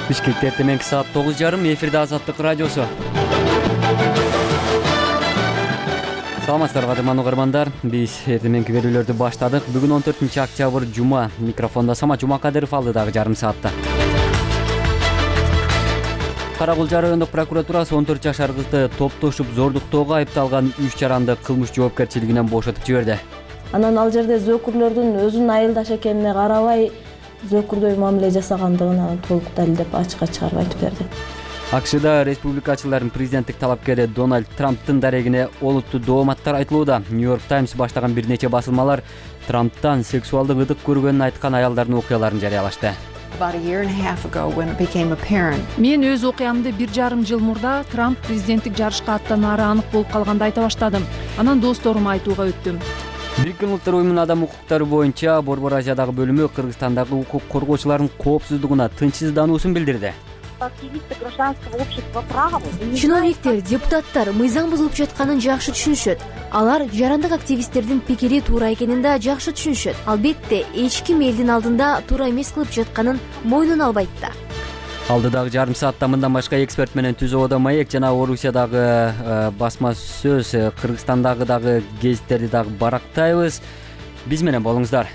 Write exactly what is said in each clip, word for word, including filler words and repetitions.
Бишкекте эртеменки саат тогуз жарым, эфирде Азаттык радиосу. Саламатсыздарбы кадырман угармандар. Биз эртеменки берүүлөрдү баштадык. Бүгүн он төртүнчү октябрь жума. Микрофондо Самат Жумакадыров, алдыдагы жарым саатта. Кара Кулжа райондук прокуратурасы он төрт жашар кызды топтошуп зордуктоого айыпталган үч жаранды кылмыш жоопкерчилигинен бошотуп жиберди. Анан ал жерде зөөкүрлөрдүн өзүнүн айылдаш экенине карабай зөөкүрдөй мамиле жасагандыгын толук далилдеп ачыкка чыгарып айтып берди. АКШда республикачылардын президенттик талапкери Дональд Трамптын дарегине олуттуу дооматтар айтылууда. Нью-Йорк Таймс баштаган бир нече басылмалар Трамптан сексуалдык ыдык көргөнүн айткан аялдардын окуяларын жарыялашты. Мен өз окуямды бир жарым жыл мурда Трамп президенттик жарышка аттанаары анык болуп калганда айта баштадым. Анан досторума айтууга өттүм. Бириккен Улуттар уюмунун адам укуктары боюнча Борбор Азиядагы бөлүмү Кыргызстандагы укук коргоочулардын коопсуздугуна тынчсыздануусун билдирди. Чиновниктер, депутаттар мыйзам бузулуп жатканын жакшы түшүнүшөт. Алар жарандык активисттердин пикири туура экенин да жакшы түшүнүшөт. Албетте, эч ким элдин алдында туура эмес кылып жатканын мойнуна албайт да. Алдыдагы жарым саатта мындан башка эксперт менен Түз абада маек жана Орусиядагы басма сөз, Кыргызстандагы дагы гезиттерди дагы барактайбыз. Биз менен болуңуздар.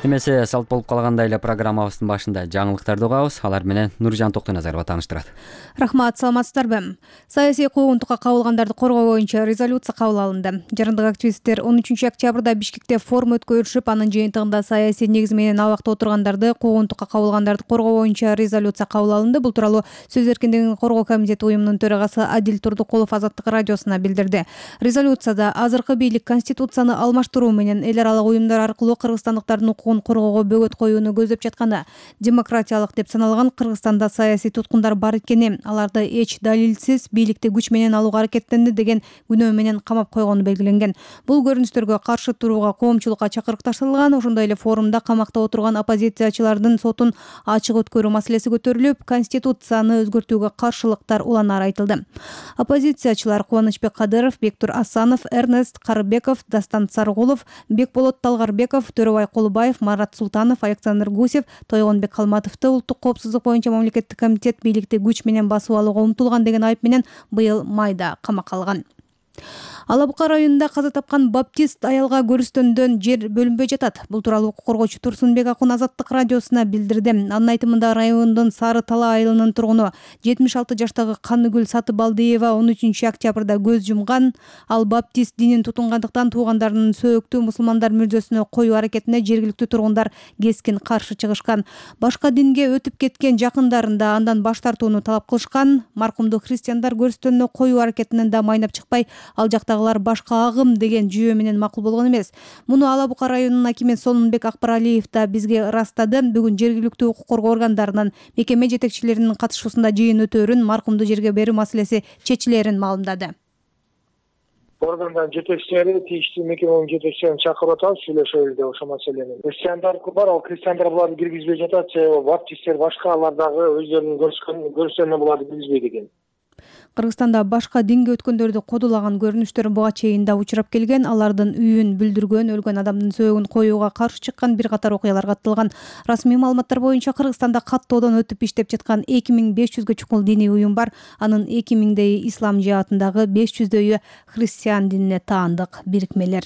Эмесе салт болуп калгандай эле программабыздын башында жаңылыктарды угабыз. Алар менен Нуржан Токтоназарова тааныштырат. Рахмат, саламатсыздарбы? Саясий куугунтукка кабылгандарды коргоо боюнча резолюция кабыл алынды. Жарандык активисттер он үчүнчү октябрда Бишкекте форум өткөрүшүп, анын жыйынтыгында саясий негиз менен абакта отургандарды, куугунтукка кабылгандарды коргоо боюнча резолюция кабыл алынды. Бул тууралуу Сөз эркиндигин коргоо комитети уюмунун төрагасы Адил Турдукулов Азаттык радиосуна билдирди. Резолюцияда азыркы бийлик конституцияны алмаштыруу менен эл аралык уюмдар аркылуу кыргызстандыктардын укугун коргоого бөгөт коюуну көздөп жатканы, демократиялык деп саналган Кыргызстанда саясий туткундар бар экени, аларды эч далилсиз бийликти күч менен алууга аракеттенди деген күнөө менен камап койгону белгиленген. Бул көрүнүштөргө каршы турууга коомчулукка чакырык ташталган. Ошондой эле форумда камакта отурган оппозициячылардын сотун ачык өткөрүү маселеси көтөрүлүп, конституцияны өзгөртүүгө каршылыктар уланары айтылды. Оппозициячылар Кубанычбек Кадыров, Бектур Асанов, Эрнест Карыбеков, Дастан Саргулов, Бекболот Талгарбеков, Төрөбай Кулубаев, Марат Султанов, Александр Гусев, Тойгонбек Калматовду улуттук коопсуздук боюнча мамлекеттик комитет бийликти күч менен басып алууга умтулган деген айып менен быйыл майда камакка алган. Ала Бука районунда каза тапкан баптист аялга көрүстөндөн жер бөлүнбөй жатат. Бул тууралуу укук коргоочу Турсунбек Акун Азаттык радиосуна билдирди. Анын айтымында райондун Сары Тала айылынын тургуну жетимиш алты жаштагы Каныгүл Сатыбалдиева он үчүнчү октябрда көз жумган. Ал баптист динин тутунгандыктан туугандарынын сөөктүү мусулмандар мүрзөсүнө коюу аракетине жергиликтүү тургундар кескин каршы чыгышкан. Башка динге өтүп кеткен жакындарын да андан баш тартууну талап кылышкан. Маркумду христиандар көрүстөнүнө коюу аракетинен да майнап чыкпай, ал жактагылар башка агым деген жүйө менен макул болгон эмес. Муну Ала Бука районунун акими Сонунбек Акбаралиев да бизге ырастады. Бүгүн жергиликтүү укук коргоо органдарынын мекеме жетекчилеринин катышуусунда жыйын өтөөрүн, маркумду жерге берүү маселеси чечилерин маалымдады. Органдардын жетекчилери, тийиштүү мекеменин жетекчилерин чакырып атабыз, сүйлөшөбүз деп ошол маселени. Христиандар бар, ал христиандар буларды киргизбей жатат, себеби баптисттер башка, алар дагы өздөрүнүн көрүскөнүнө буларды киргизбейт экен. Кыргызстанда башка динге өткөндөрдү кодулаган көрүнүштөр буга чейин да учурап келген. Алардын үйүн бүлдүргөн, өлгөн адамдын сөөгүн коюуга каршы чыккан бир катар окуялар катталган. Расмий маалыматтар боюнча Кыргызстанда каттоодон өтүп иштеп жаткан эки миң беш жүзгө чукул диний уюм бар. Анын эки миңдейи ислам жаатындагы беш жүздөйү христиан динине таандык бирикмелер.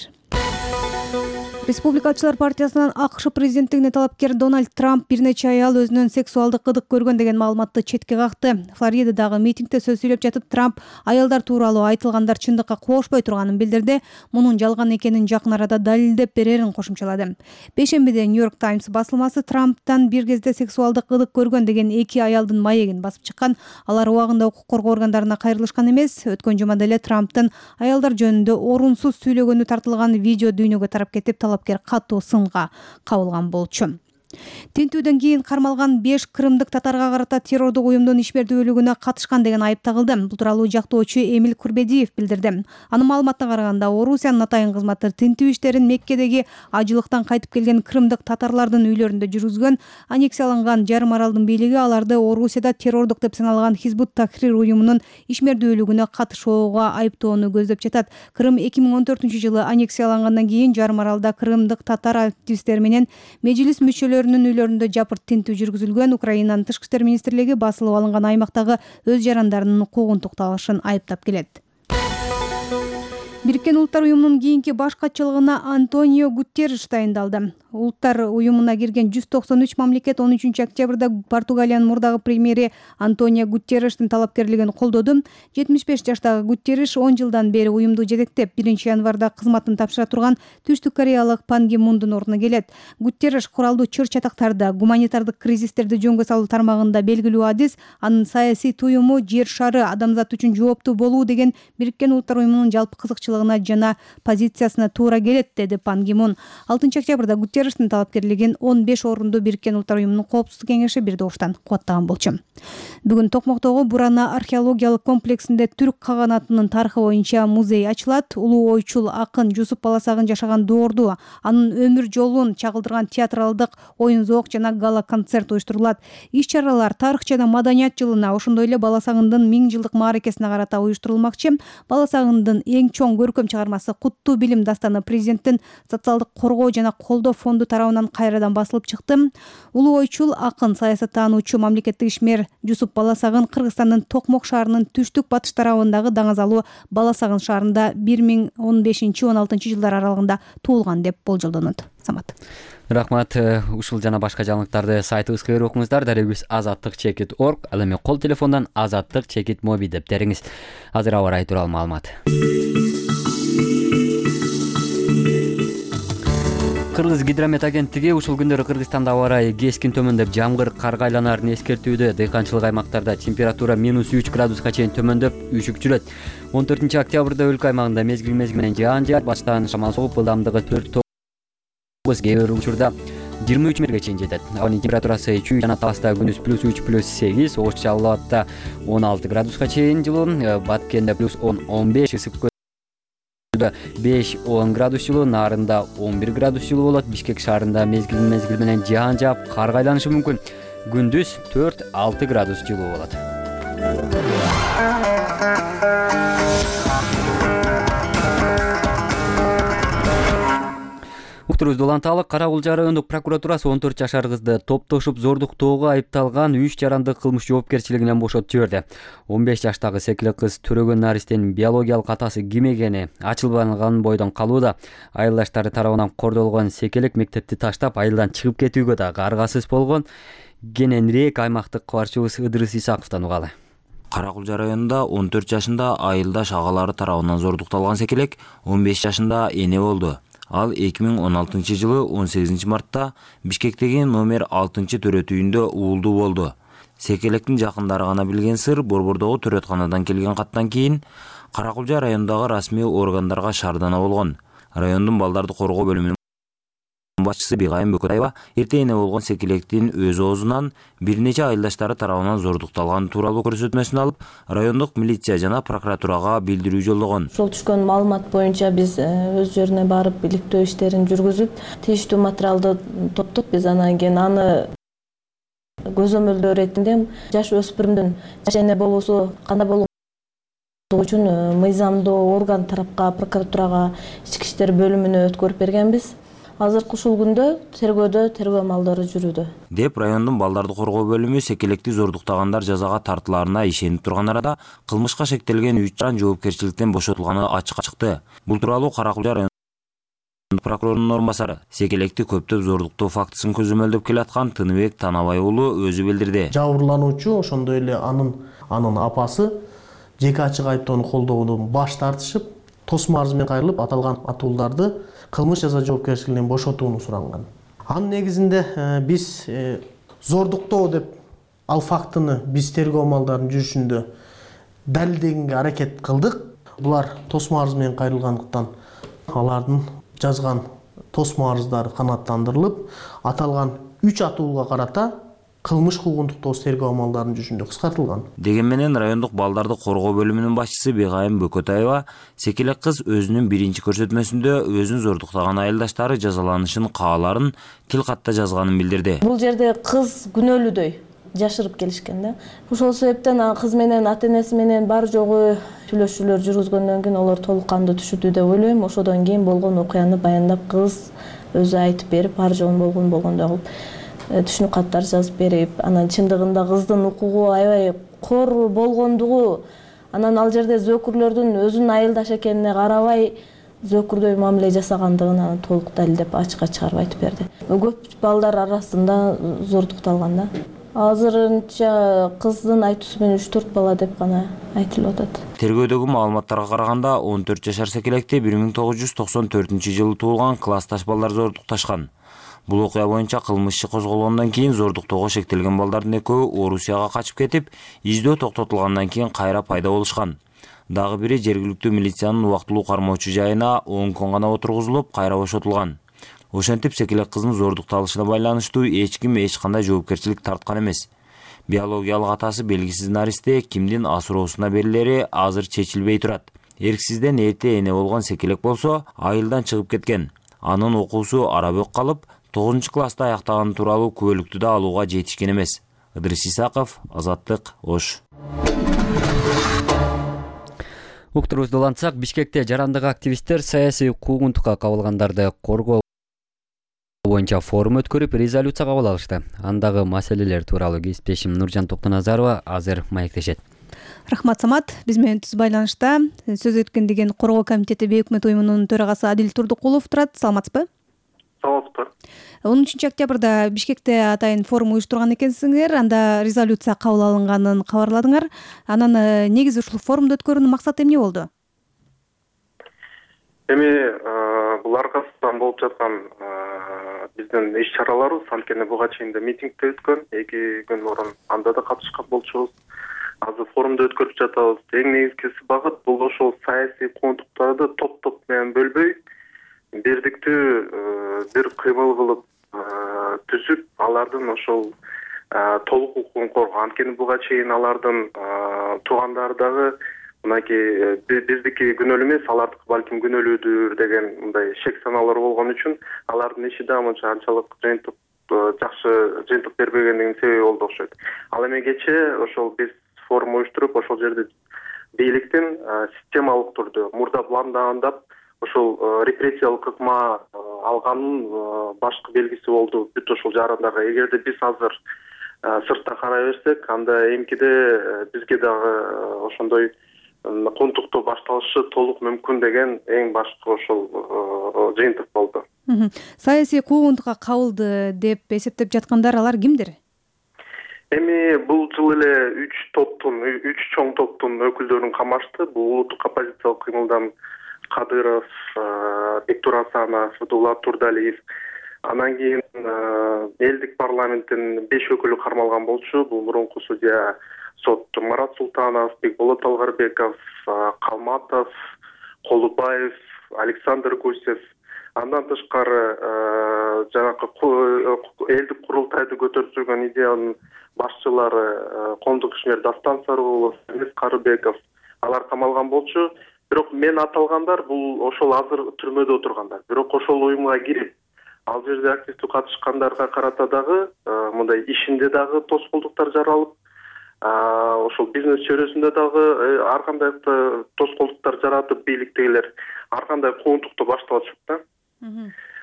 Республикачылар партиясынан АКШ президенттигине талапкер Дональд Трамп бир нече аял өзүнөн сексуалдык ыдык көргөн деген маалыматты четке какты. Флоридадагы митингде сөз сүйлөп жатып Трамп аялдар тууралуу айтылгандар чындыкка кошпой турганын билдирди. Мунун жалган экенин жакын арада далилдеп берерин кошумчалады. Бешембиде Нью-Йорк Таймс басылмасы Трамптан бир кезде сексуалдык ыдык көргөн деген эки аялдын маегин басып чыккан. Алар убагында укук коргоо органдарына кайрылышкан эмес. Өткөн жумада эле Трамптын аялдар жөнүндө орунсуз сүйлөгөнү тартылган видео дүйнөгө тарап кетип, талапкер катуу сынга кабылган болчу. Тинтүүдөн кийин кармалган беш крымдык татарга карата террордук уюмдун ишмердүүлүгүнө катышкан деген айып тагылды. Бул тууралуу жактоочу Эмил Курбедиев билдирди. Анын маалыматына караганда, Орусиянын атайын кызматы тинтүү иштерин Меккедеги ажылыктан кайтып келген крымдык татарлардын үйлөрүндө жүргүзгөн. Аннексияланган жарым аралдын бийлиги аларды Орусияда террордук деп саналган Хизбут Тахрир уюмунун ишмердүүлүгүнө катышууга айыптоону көздөп жатат. Крым эки миң он төртүнчү жылы аннексиялангандан кийин жарым аралда крымдык татар активисттери менен межлис мүчөлөрү өкүлдөрүнүн үйлөрүндө жапырт тинтүү жүргүзүлгөн. Украинанын тышкы иштер министрлиги басылып алынган аймактагы өз жарандарынын укугун тукталышын айыптап келет. Бириккен Улуттар уюмунун кийинки баш катчылыгына Антонио Гутерриш дайындалды. Улуттар уюмуна кирген жүз токсон үч мамлекет он үчүнчү октябрда Португалиянын мурдагы премьери Антонио Гутерриштин талапкерлигин колдоду. жетимиш беш жаштагы Гутерриш он жылдан бери уюмду жетектеп, биринчи январда кызматын тапшыра турган Түштүк Кореялык Пан Ги Мундун ордуна келет. Гутерриш куралдуу чыр-чатактарда, гуманитардык кризистерди жөнгө салуу тармагында белгилүү адис, анын саясий туюму жер шары адамзат үчүн жооптуу болуу деген Бириккен Улуттар уюмунун жалпы кызыкчылыгына жана позициясына туура келет, деди Пан Ги Мун. алтынчы октябрда Гутерриштин талапкерлигин он беш орунду Бириккен Улуттар уюмунун коопсуздук кеңеши бир добуштан кубаттаган болчу. Бүгүн Токмоктогу Бурана археологиялык комплексинде түрк каганатынын тарыхы боюнча музей ачылат. Улуу ойчул акын Жусуп Баласагын жашаган доорду, анын өмүр жолун чагылдырган театралдык оюн-зоок жана гала-концерт уюштурулат. Иш-чаралар тарых жана маданият жылына, ошондой эле Баласагындын миң жылдык мааракесине карата уюштурулмакчы. Баласагындын эң чоң көркөм чыгармасы Куттуу билим дастаны президенттин социалдык коргоо жана колдоо фонду тарабынан кайрадан басылып чыкты. Улуу ойчул акын, саясаттануучу, мамлекеттик ишмер Жусуп Баласагын Кыргызстандын Токмок шаарынын түштүк батыш тарабындагы Даңазалуу Баласагын шаарында бир миң он бешинчи он алтынчы жылдар аралыгында туулган деп болжолдонот. Самат. Рахмат. Ушул жана башка жаңылыктарды сайтыбызга кирип окуңуздар. Дарегибиз азаттык чекит точка орг. Ал эми кол телефондон азаттык чекит моби деп териңиз. Азыр аба ырайы тууралуу маалымат. Кыргыз гидромет агенттиги ушул күндөрү Кыргызстанда аба ырайы кескин төмөндөп, жамгыр, карга айланаарын эскертүүдө. Дыйканчылык аймактарда температура минус үч градуска чейин төмөндөп, үшүк жүрөт. он төртүнчү октябрда өлкө аймагында мезгил мезгил менен жаан жаап, баштан шамал согуп, ылдамдыгы төрт тогуз, кээ бир учурда жыйырма үч метрге чейин жетет. Абанын температурасы үч жана Таласта күндүз плюс үч плюс сегиз, Ош Жалал Абадта он алты градуска чейин жылуу, Баткенде плюс он он беш, ысык беш он градус жылуу, Нарында он бир градус жылуу болот. Бишкек шаарында мезгил мезгил менен жаан жаап, кар айланышы мүмкүн. Күндүз төрт алты градус жылуу болот. Уктурубузду уланталы. Кара Кулжа райондук прокуратурасы он төрт жашар кызды топтошуп зордуктоого айыпталган үч жарандык кылмыш жоопкерчилигинен бошотуп жиберди. он беш жаштагы секиле кыз Төрөгөн Наристин биологиялык атасы ким экени ачылбаган бойдон калууда. Айылдаштары тарабынан кордолгон секелек мектепти таштап, айылдан чыгып кетүүгө дагы аргасыз болгон. Кененирээк аймактык кабарчыбыз Ыдырыс Исаковдон угалы. Кара Кулжа районунда он төрт жашында айылдаш агалары тарабынан зордукталган секелек он беш жашында эне болду. Ал эки миң он алтынчы жылы он сегизинчи мартта Бишкектеги номер алтынчы төрөт үйүндө уулдуу болду. Секелектин жакындары гана билген сыр, Борбордогу төрөтканадан келген каттан кийин Кара Кулжа районундагы расмий органдарга шаардана болгон. Райондун балдарды коргоо бөлүмүнүн башчысы Бигайым Бөкөтаева эрте эне болгон секелектин өз оозунан бир нече айылдаштары тарабынан зордукталган тууралуу көрсөтмөсүн алып, райондук милиция жана прокуратурага билдирүү жолдогон. Ошол түшкөн маалымат боюнча биз өз жерине барып иликтөө иштерин жүргүзүп, тийиштүү материалды топтоп, биз анан кийин аны көзөмөлдөө иретинде жаш өспүрүмдүн жаш эне болуусу кандай болуу үчүн мыйзамдуу орган тарапка, прокуратурага, ички иштер бөлүмүнө өткөрүп бергенбиз. Азыркы ушул күндө тергөөдө тергөө амалдары жүрүүдө. Деп райондун балдарды коргоо бөлүмү секелекти зордуктагандар жазага тартылаарына ишенип турган арада кылмышка шектелген үч жаран жоопкерчиликтен бошотулганы ачыкка чыкты. Бул тууралуу Кара Кулжа районунун прокурорунун орун басары, секелекти көптөп зордуктоо фактысын көзөмөлдөп келаткан Тыныбек Танабай уулу өзү билдирди. Жабырлануучу, ошондой эле анын анын апасы жеке ачык айыптоону колдоодон баш тартышып, тосмо арыз менен кайрылып, аталган атууларды кылмыш жаза жоопкерчилигинен бошотууну суранган. Анын негизинде биз зордуктоо деп ал фактыны биз тергөө амалдарын жүрүшүндө далилдегенге аракет кылдык. Булар тосмо арыз менен кайрылгандыктан алардын жазган тосмо арыздары канааттандырылып, аталган үч атуулга карата кылмыш куугунтук тоос тергөө амалдарын жүрүшүндө кыскартылган. Деген менен райондук балдарды коргоо бөлүмүнүн башчысы Бигайым Бөкөтаева секелек кыз өзүнүн биринчи көрсөтмөсүндө өзүн зордуктаган айылдаштары жазаланышын кааларын тил катта жазганын билдирди. Бул жерде кыз күнөөлүүдөй жашырып келишкен да. Ошол себептен кыз менен ата энеси менен бар жогу сүйлөшүүлөр жүргүзгөндөн кийин алар толук кандуу түшүндү деп ойлойм. Ошодон кийин болгон окуяны баяндап кыз өзү айтып берип, бар жогун болгон болгондой кылып түшүнүк каттар жазып берип, анан чындыгында кыздын укугу аябай кор болгондугу, анан ал жерде зөөкүрлөрдүн өзүнүн айылдаш экенине карабай зөөкүрдөй мамиле жасагандыгын анан толук далилдеп ачыкка чыгарып айтып берди. Көп балдар арасында зордукталган да. Азырынча кыздын айтуусу менен үч төрт бала деп гана айтылып атат. Тергөөдөгү маалыматтарга караганда он төрт жашар секелекти бир миң тогуз жүз токсон төртүнчү жылы туулган классташ балдар зордукташкан. Бул окуя боюнча кылмыш иши козголгондон кийин зордуктоого шектелген балдардын экөө Орусияга качып кетип, издөө токтотулгандан кийин кайра пайда болушкан. Дагы бири жергиликтүү милициянын убактылуу кармоочу жайына он күн гана отургузулуп, кайра бошотулган. Ошентип секелек кыздын зордукталышына байланыштуу эч ким эч кандай жоопкерчилик тарткан эмес. Биологиялык атасы белгисиз наристе кимдин асыроосуна берилери азыр чечилбей турат. Эрксизден эрте эне болгон секелек болсо айылдан чыгып кеткен. Анын окуусу арабөк калып, тогузунчу класста аяктаганы тууралуу күбөлүктү да алууга жетишкен эмес. Ыдырыс Исаков, Азаттык, Ош. Уктурубузду улантсак, Бишкекте жарандык активисттер саясий куугунтукка кабылгандарды коргоо боюнча форум өткөрүп, резолюция кабыл алышты. Андагы маселелер тууралуу кесиптешим Нуржан Токтоназарова азыр маектешет. Рахмат, Самат. Биз менен түз байланышта сөз өткөн деген коргоо комитети бейөкмөт уюмунун төрагасы Адил Турдукулов турат. Саламатсызбы? Саламатсызбы. он үчүнчү октябрда Бишкекте атайын форум уюштурган экенсиңер, анда резолюция кабыл алынганын кабарладыңар. Анан негизи ушул форумду өткөрүүнүн максаты эмне болду? Эми бул аркасынан болуп жаткан биздин иш-чараларыбыз анткени буга чейин да митингде өткөн, эки күн мурун анда да катышкан болчубуз. Азыр форумду өткөрүп жатабыз. Эң негизгиси багыт бул ошол саясий куугунтуктарды топ-топ менен бөлбөй, бирдиктүү бир кыймыл кылып түзүп, алардын ошол толук укугун коргоо. Анткени буга чейин алардын туугандары дагы мынакей биздики күнөөлүү эмес, алардыкы балким күнөөлүүдүр деген мындай шек санаалар болгон үчүн алардын иши да мынча анчалык жыйынтык жакшы жыйынтык бербегендигинин себеби болду окшойт. Ал эми кечээ ошол биз форум уюштуруп, ошол жерде бийликтин системалык түрдө мурда пландагандап ошол репрессиялык ыкма алганын башкы белгиси болду бүт ошол жарандарга. Эгерде биз азыр сыртта карай берсек, анда эмкиде бизге дагы ошондой куугунтуктоо башталышы толук мүмкүн деген эң башкы ошол жыйынтык болду. Саясий куугунтукка кабылды деп эсептеп жаткандар алар кимдер? Эми бул жыл эле үч топтун, үч чоң топтун өкүлдөрүн камашты. Бул улуттук оппозициялык кыймылдан Кадыров, Бектур Асанов, Дулат Турдалиев. Анан кийин элдик парламенттин беш өкүлү кармалган болчу. Бул мурунку судья сот Марат Султанов, Бекболот Алгарбеков, Калматов, Колубаев, Александр Гусев. Андан тышкары жанакы элдик курултайды көтөрүп жүргөн идеянын башчылары Кондук ишмер Дастан Сарыгулов, Эмес Карыбеков, алар камалган болчу. Бирок мен аталгандар бул ошол азыр түрмөдө отургандар. Бирок ошол уюмга кирип, ал жерде активдүү катышкандарга карата дагы мындай ишинде дагы тоскоолдуктар жаралып, ошол бизнес чөйрөсүндө дагы ар кандай тоскоолдуктар жаратып, бийликтегилер ар кандай куугунтукту башталышып да.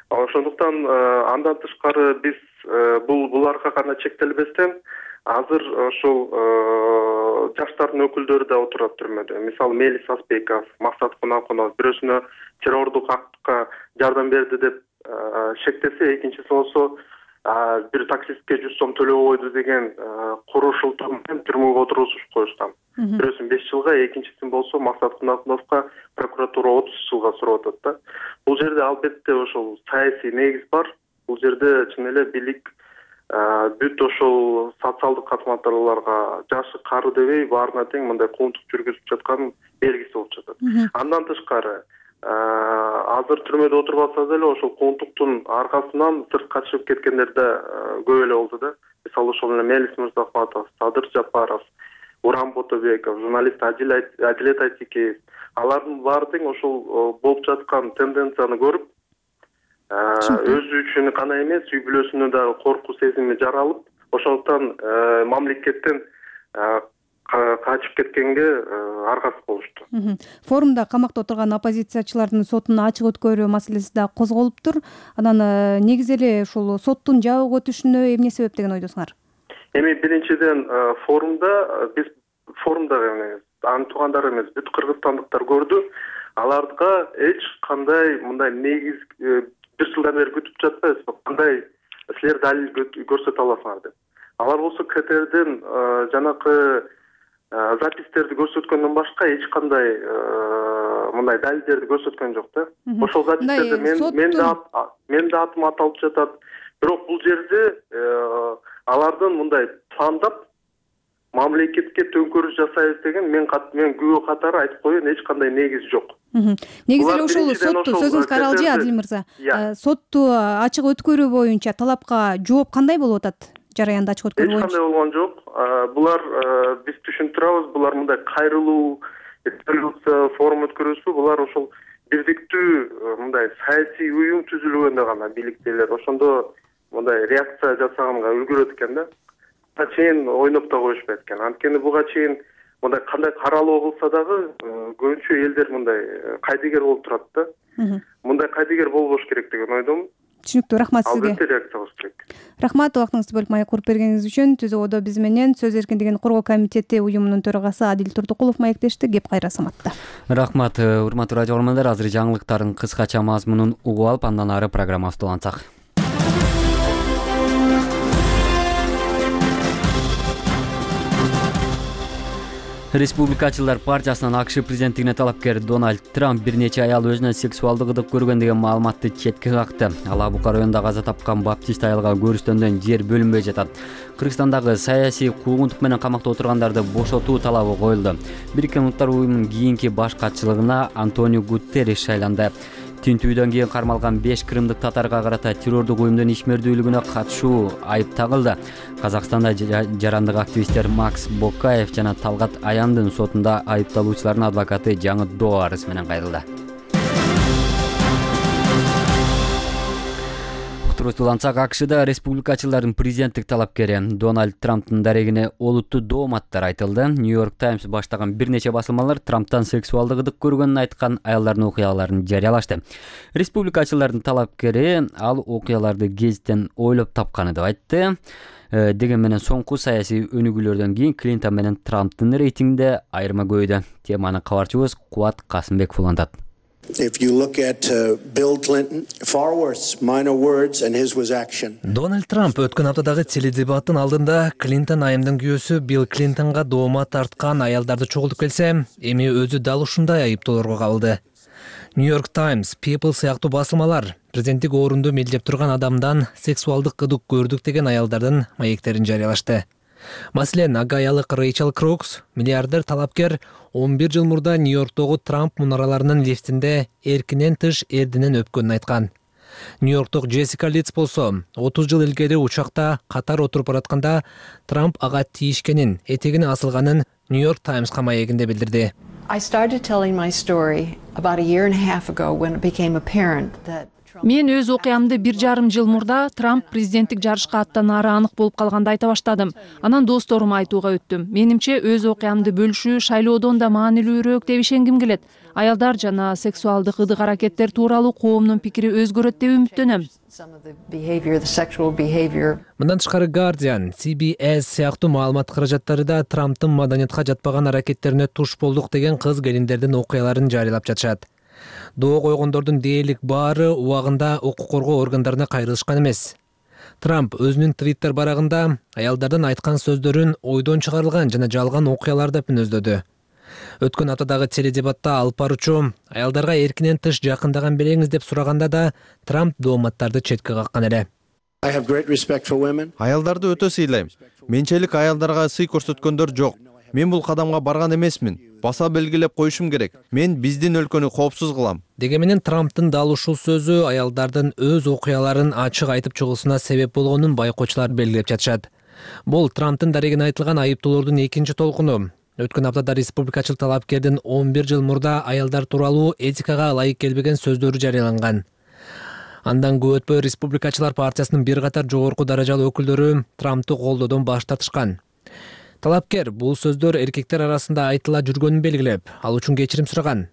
Ошондуктан андан тышкары биз бул буларга гана чектелбестен азыр ошол жаштардын өкүлдөрү да отурат түрмөдө. Мисалы Мелис Асбеков, Максат Кунакунов бирөөсүнө террордук актка жардам берди деп шектесе, экинчиси болсо бир таксистке жүз сом төлөп койду деген курушултуу менен түрмөгө отургузуп коюшкан. Бирөөсүн беш жылга, экинчисин болсо Максат Кунакуновго прокуратура отуз жылга сурап атат да. Бул жерде албетте ошол саясий негиз бар. Бул жерде чын эле бийлик бүт ошол социалдык катмарларга жашы кары дебей баарына тең мындай куугунтук жүргүзүп жатканын белгиси болуп жатат. Андан тышкары азыр түрмөдө отурбаса деле ошол куугунтуктун аркасынан сыртка чыгып кеткендер да көп эле болду да. Мисалы ошол эле Мелис Мырзахматов, Садыр Жапаров, Урам Ботобеков, журналист Адилет Айтикеев, алардын баары тең ошол болуп жаткан тенденцияны көрүп, өзү үчүн гана эмес, үй бүлөсүнө дагы коркуу сезими жаралып, ошондуктан мамлекеттен качып кеткенге аргасыз болушту. Форумда камакта отурган оппозициячылардын сотун ачык өткөрүү маселеси да козголуптур. Анан негизи эле ушул соттун жабык өтүшүнө эмне себеп деген ойдосуңар? Эми биринчиден форумда биз форумдагы эмес, анын туугандары эмес, бүт кыргызстандыктар көрдү. Аларга эч кандай мындай негиз бир жылдан бери күтүп жатпайбызбы, кандай силер далил көрсөтө аласыңар деп. Алар болсо КТРдин жанакы запистерди көрсөткөндөн башка эч кандай мындай далилдерди көрсөткөн жок да. Ошол запистерде мен мен да мен да атым аталып жатат. Бирок бул жерде алардын мындай пландап мамлекетке төңкөрүш жасайбыз деген мен мен күбө катары айтып коеюн, эч кандай негиз жок. Негизи эле ошол сотту сөзүңүз каралжы, Адил мырза. Сотту ачык өткөрүү боюнча талапка жооп кандай болуп атат? Жараянда ачык өткөрүү боюнча. Эч кандай болгон жок. Булар биз түшүнүп турабыз, булар мындай кайрылуу, резолюция форум өткөрүүсү, булар ошол бирдиктүү мындай саясий уюм түзүлгөндө гана бийликтелер. Ошондо мындай реакция жасаганга үлгүрөт экен да. Буга чейин ойноп да коюшпайт экен. Анткени буга чейин мындай кандай каралуу кылса дагы көбүнчө элдер мындай кайдыгер болуп турат да. Мындай кайдыгер болбош керек деген ойдомун. Түшүнүктүү, рахмат сизге. Албетте реакция кылыш керек. Рахмат, убактыңызды бөлүп маек куруп бергениңиз үчүн. Түзүүдө биз менен Сөз эркиндигин коргоо комитети уюмунун төрагасы Адил Турдукулов маектешти. Кеп кайра саматта. Рахмат, урматтуу радио көрөрмандар. Азыр жаңылыктардын кыскача мазмунун угуп алып, андан ары программабызды улантсак. Республикачылар партиясынан АКШ президенттигине талапкер Дональд Трамп бир нече аял өзүнө сексуалдык ыдык көргөн деген маалыматты четке какты. Ал Абука районунда каза тапкан баптист аялга көрүстөндөн жер бөлүнбөй жатат. Кыргызстандагы саясий куугунтук менен камакта отургандарды бошотуу талабы коюлду. Бириккен Улуттар уюмунун кийинки баш катчылыгына Антонио Гутерриш шайланды. Тинтүүдөн кийин кармалган беш кырымдык татарга карата террордук уюмдун ишмердүүлүгүнө катышуу айып тагылды. Казакстанда жарандык активисттер Макс Бокаев жана Талгат Аяндын сотунда айыпталуучулардын адвокаты жаңы доо арыз менен кайрылды. Улантсак, АКШда республикачылардын президенттик талапкери Дональд Трамптын дарегине олуттуу дооматтар айтылды. Нью-Йорк Таймс баштаган бир нече басылмалар Трамптан сексуалдык ыдык көргөнүн айткан аялдардын окуяларын жарыялашты. Республикачылардын талапкери ал окуяларды гезиттен ойлоп тапканы деп айтты. Деген менен соңку саясий өнүгүүлөрдөн кийин Клинтон менен Трамптын рейтингинде айырма көбөйдү. Теманы кабарчыбыз Кубат Касымбеков улантат. If you look at uh, Bill Clinton, far worse, minor words and his was action. Дональд Трамп өткөн аптадагы теледебаттын алдында Клинтон айымдын күйөөсү Билл Клинтонго доомат тарткан аялдарды чогултуп келсе, эми өзү дал ушундай айыптоолорго кабылды. Нью-Йорк Таймс, People сыяктуу басылмалар президенттик орунду мелдеп турган адамдан сексуалдык ыдык көрдүк деген аялдардын маектерин жарыялашты. Маселен, ага аялык Рэйчел Крокс, миллиардер талапкер он бир жыл мурда Нью-Йорктогу Трамп мунараларынын лифтинде эркинен тыш эрдинен өпкөнүн айткан. Нью-Йорктог Джессика Литц болсо, отуз жыл илгери учакта катар отуруп баратканда Трамп ага тийишкенин, этегине асылганын Нью-Йорк Таймска маегинде билдирди. I started telling my story about a year and a half ago when it became apparent that Мен өз окуямды бир жарым жыл мурда Трамп президенттик жарышка аттанаары анык болуп калганда айта баштадым. Анан досторума айтууга өттүм. Менимче өз окуямды бөлүшүү шайлоодон да маанилүүрөөк деп ишенгим келет. Аялдар жана сексуалдык ыдык аракеттер тууралуу коомдун пикири өзгөрөт деп үмүттөнөм. Мындан тышкары Guardian, си би эс сыяктуу маалымат каражаттары да Трамптын маданиятка жатпаган аракеттерине туш болдук деген кыз келиндердин окуяларын жарыялап жатышат. Доо койгондордун дээрлик баары убагында укук коргоо органдарына кайрылышкан эмес. Трамп өзүнүн твиттер барагында аялдардын айткан сөздөрүн ойдон чыгарылган жана жалган окуялар деп мүнөздөдү. Өткөн аптадагы теледебатта алып баруучу аялдарга эркинен тыш жакындаган береңиз деп сураганда да Трамп дооматтарды четке каккан эле. Аялдарды өтө сыйлайм. Менчелик аялдарга сый көрсөткөндөр жок. Мен бул кадамга барган эмесмин. Баса белгилеп коюшум керек. Мен биздин өлкөнү коопсуз кылам. Деге менен Трамптын дал ушул сөзү аялдардын өз окуяларын ачык айтып чыгуусуна себеп болгонун байкоочулар белгилеп жатышат. Бул Трамптын дарегине айтылган айыптоолордун экинчи толкуну. Өткөн аптада республикачыл талапкердин он бир жыл мурда аялдар тууралуу этикага ылайык келбеген сөздөрү жарыяланган. Андан көп өтпөй республикачылар партиясынын бир катар жогорку даражалуу өкүлдөрү Трамптты колдоодон баш тартышкан. Талапкер бул сөздөр эркектер арасында айтыла жүргөнүн белгилеп, ал үчүн кечирим сураган.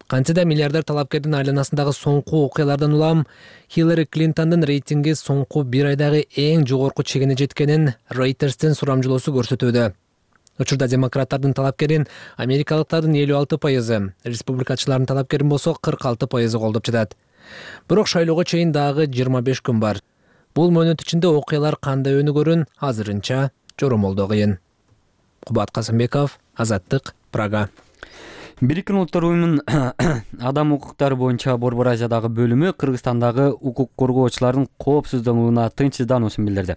Кантсе да миллиардер талапкердин айланасындагы соңку окуялардан улам Хиллари Клинтондун рейтинги соңку бир айдагы эң жогорку чегине жеткенин Reuters'тин сурамжылоосу көрсөтүүдө. Учурда демократтардын талапкерин америкалыктардын элүү алты пайызы, республикачылардын талапкерин болсо кырк алты пайызы колдоп жатат. Бирок шайлоого чейин дагы жыйырма беш күн бар. Бул мөөнөт ичинде окуялар кандай өнүгөрүн азырынча жоромолдоо кыйын. Кубат Касымбеков, Азаттык, Прага. Бириккен Улуттар уюмунун адам укуктары боюнча Борбор Азиядагы бөлүмү Кыргызстандагы укук коргоочулардын коопсуздугуна тынчсыздануусун билдирди.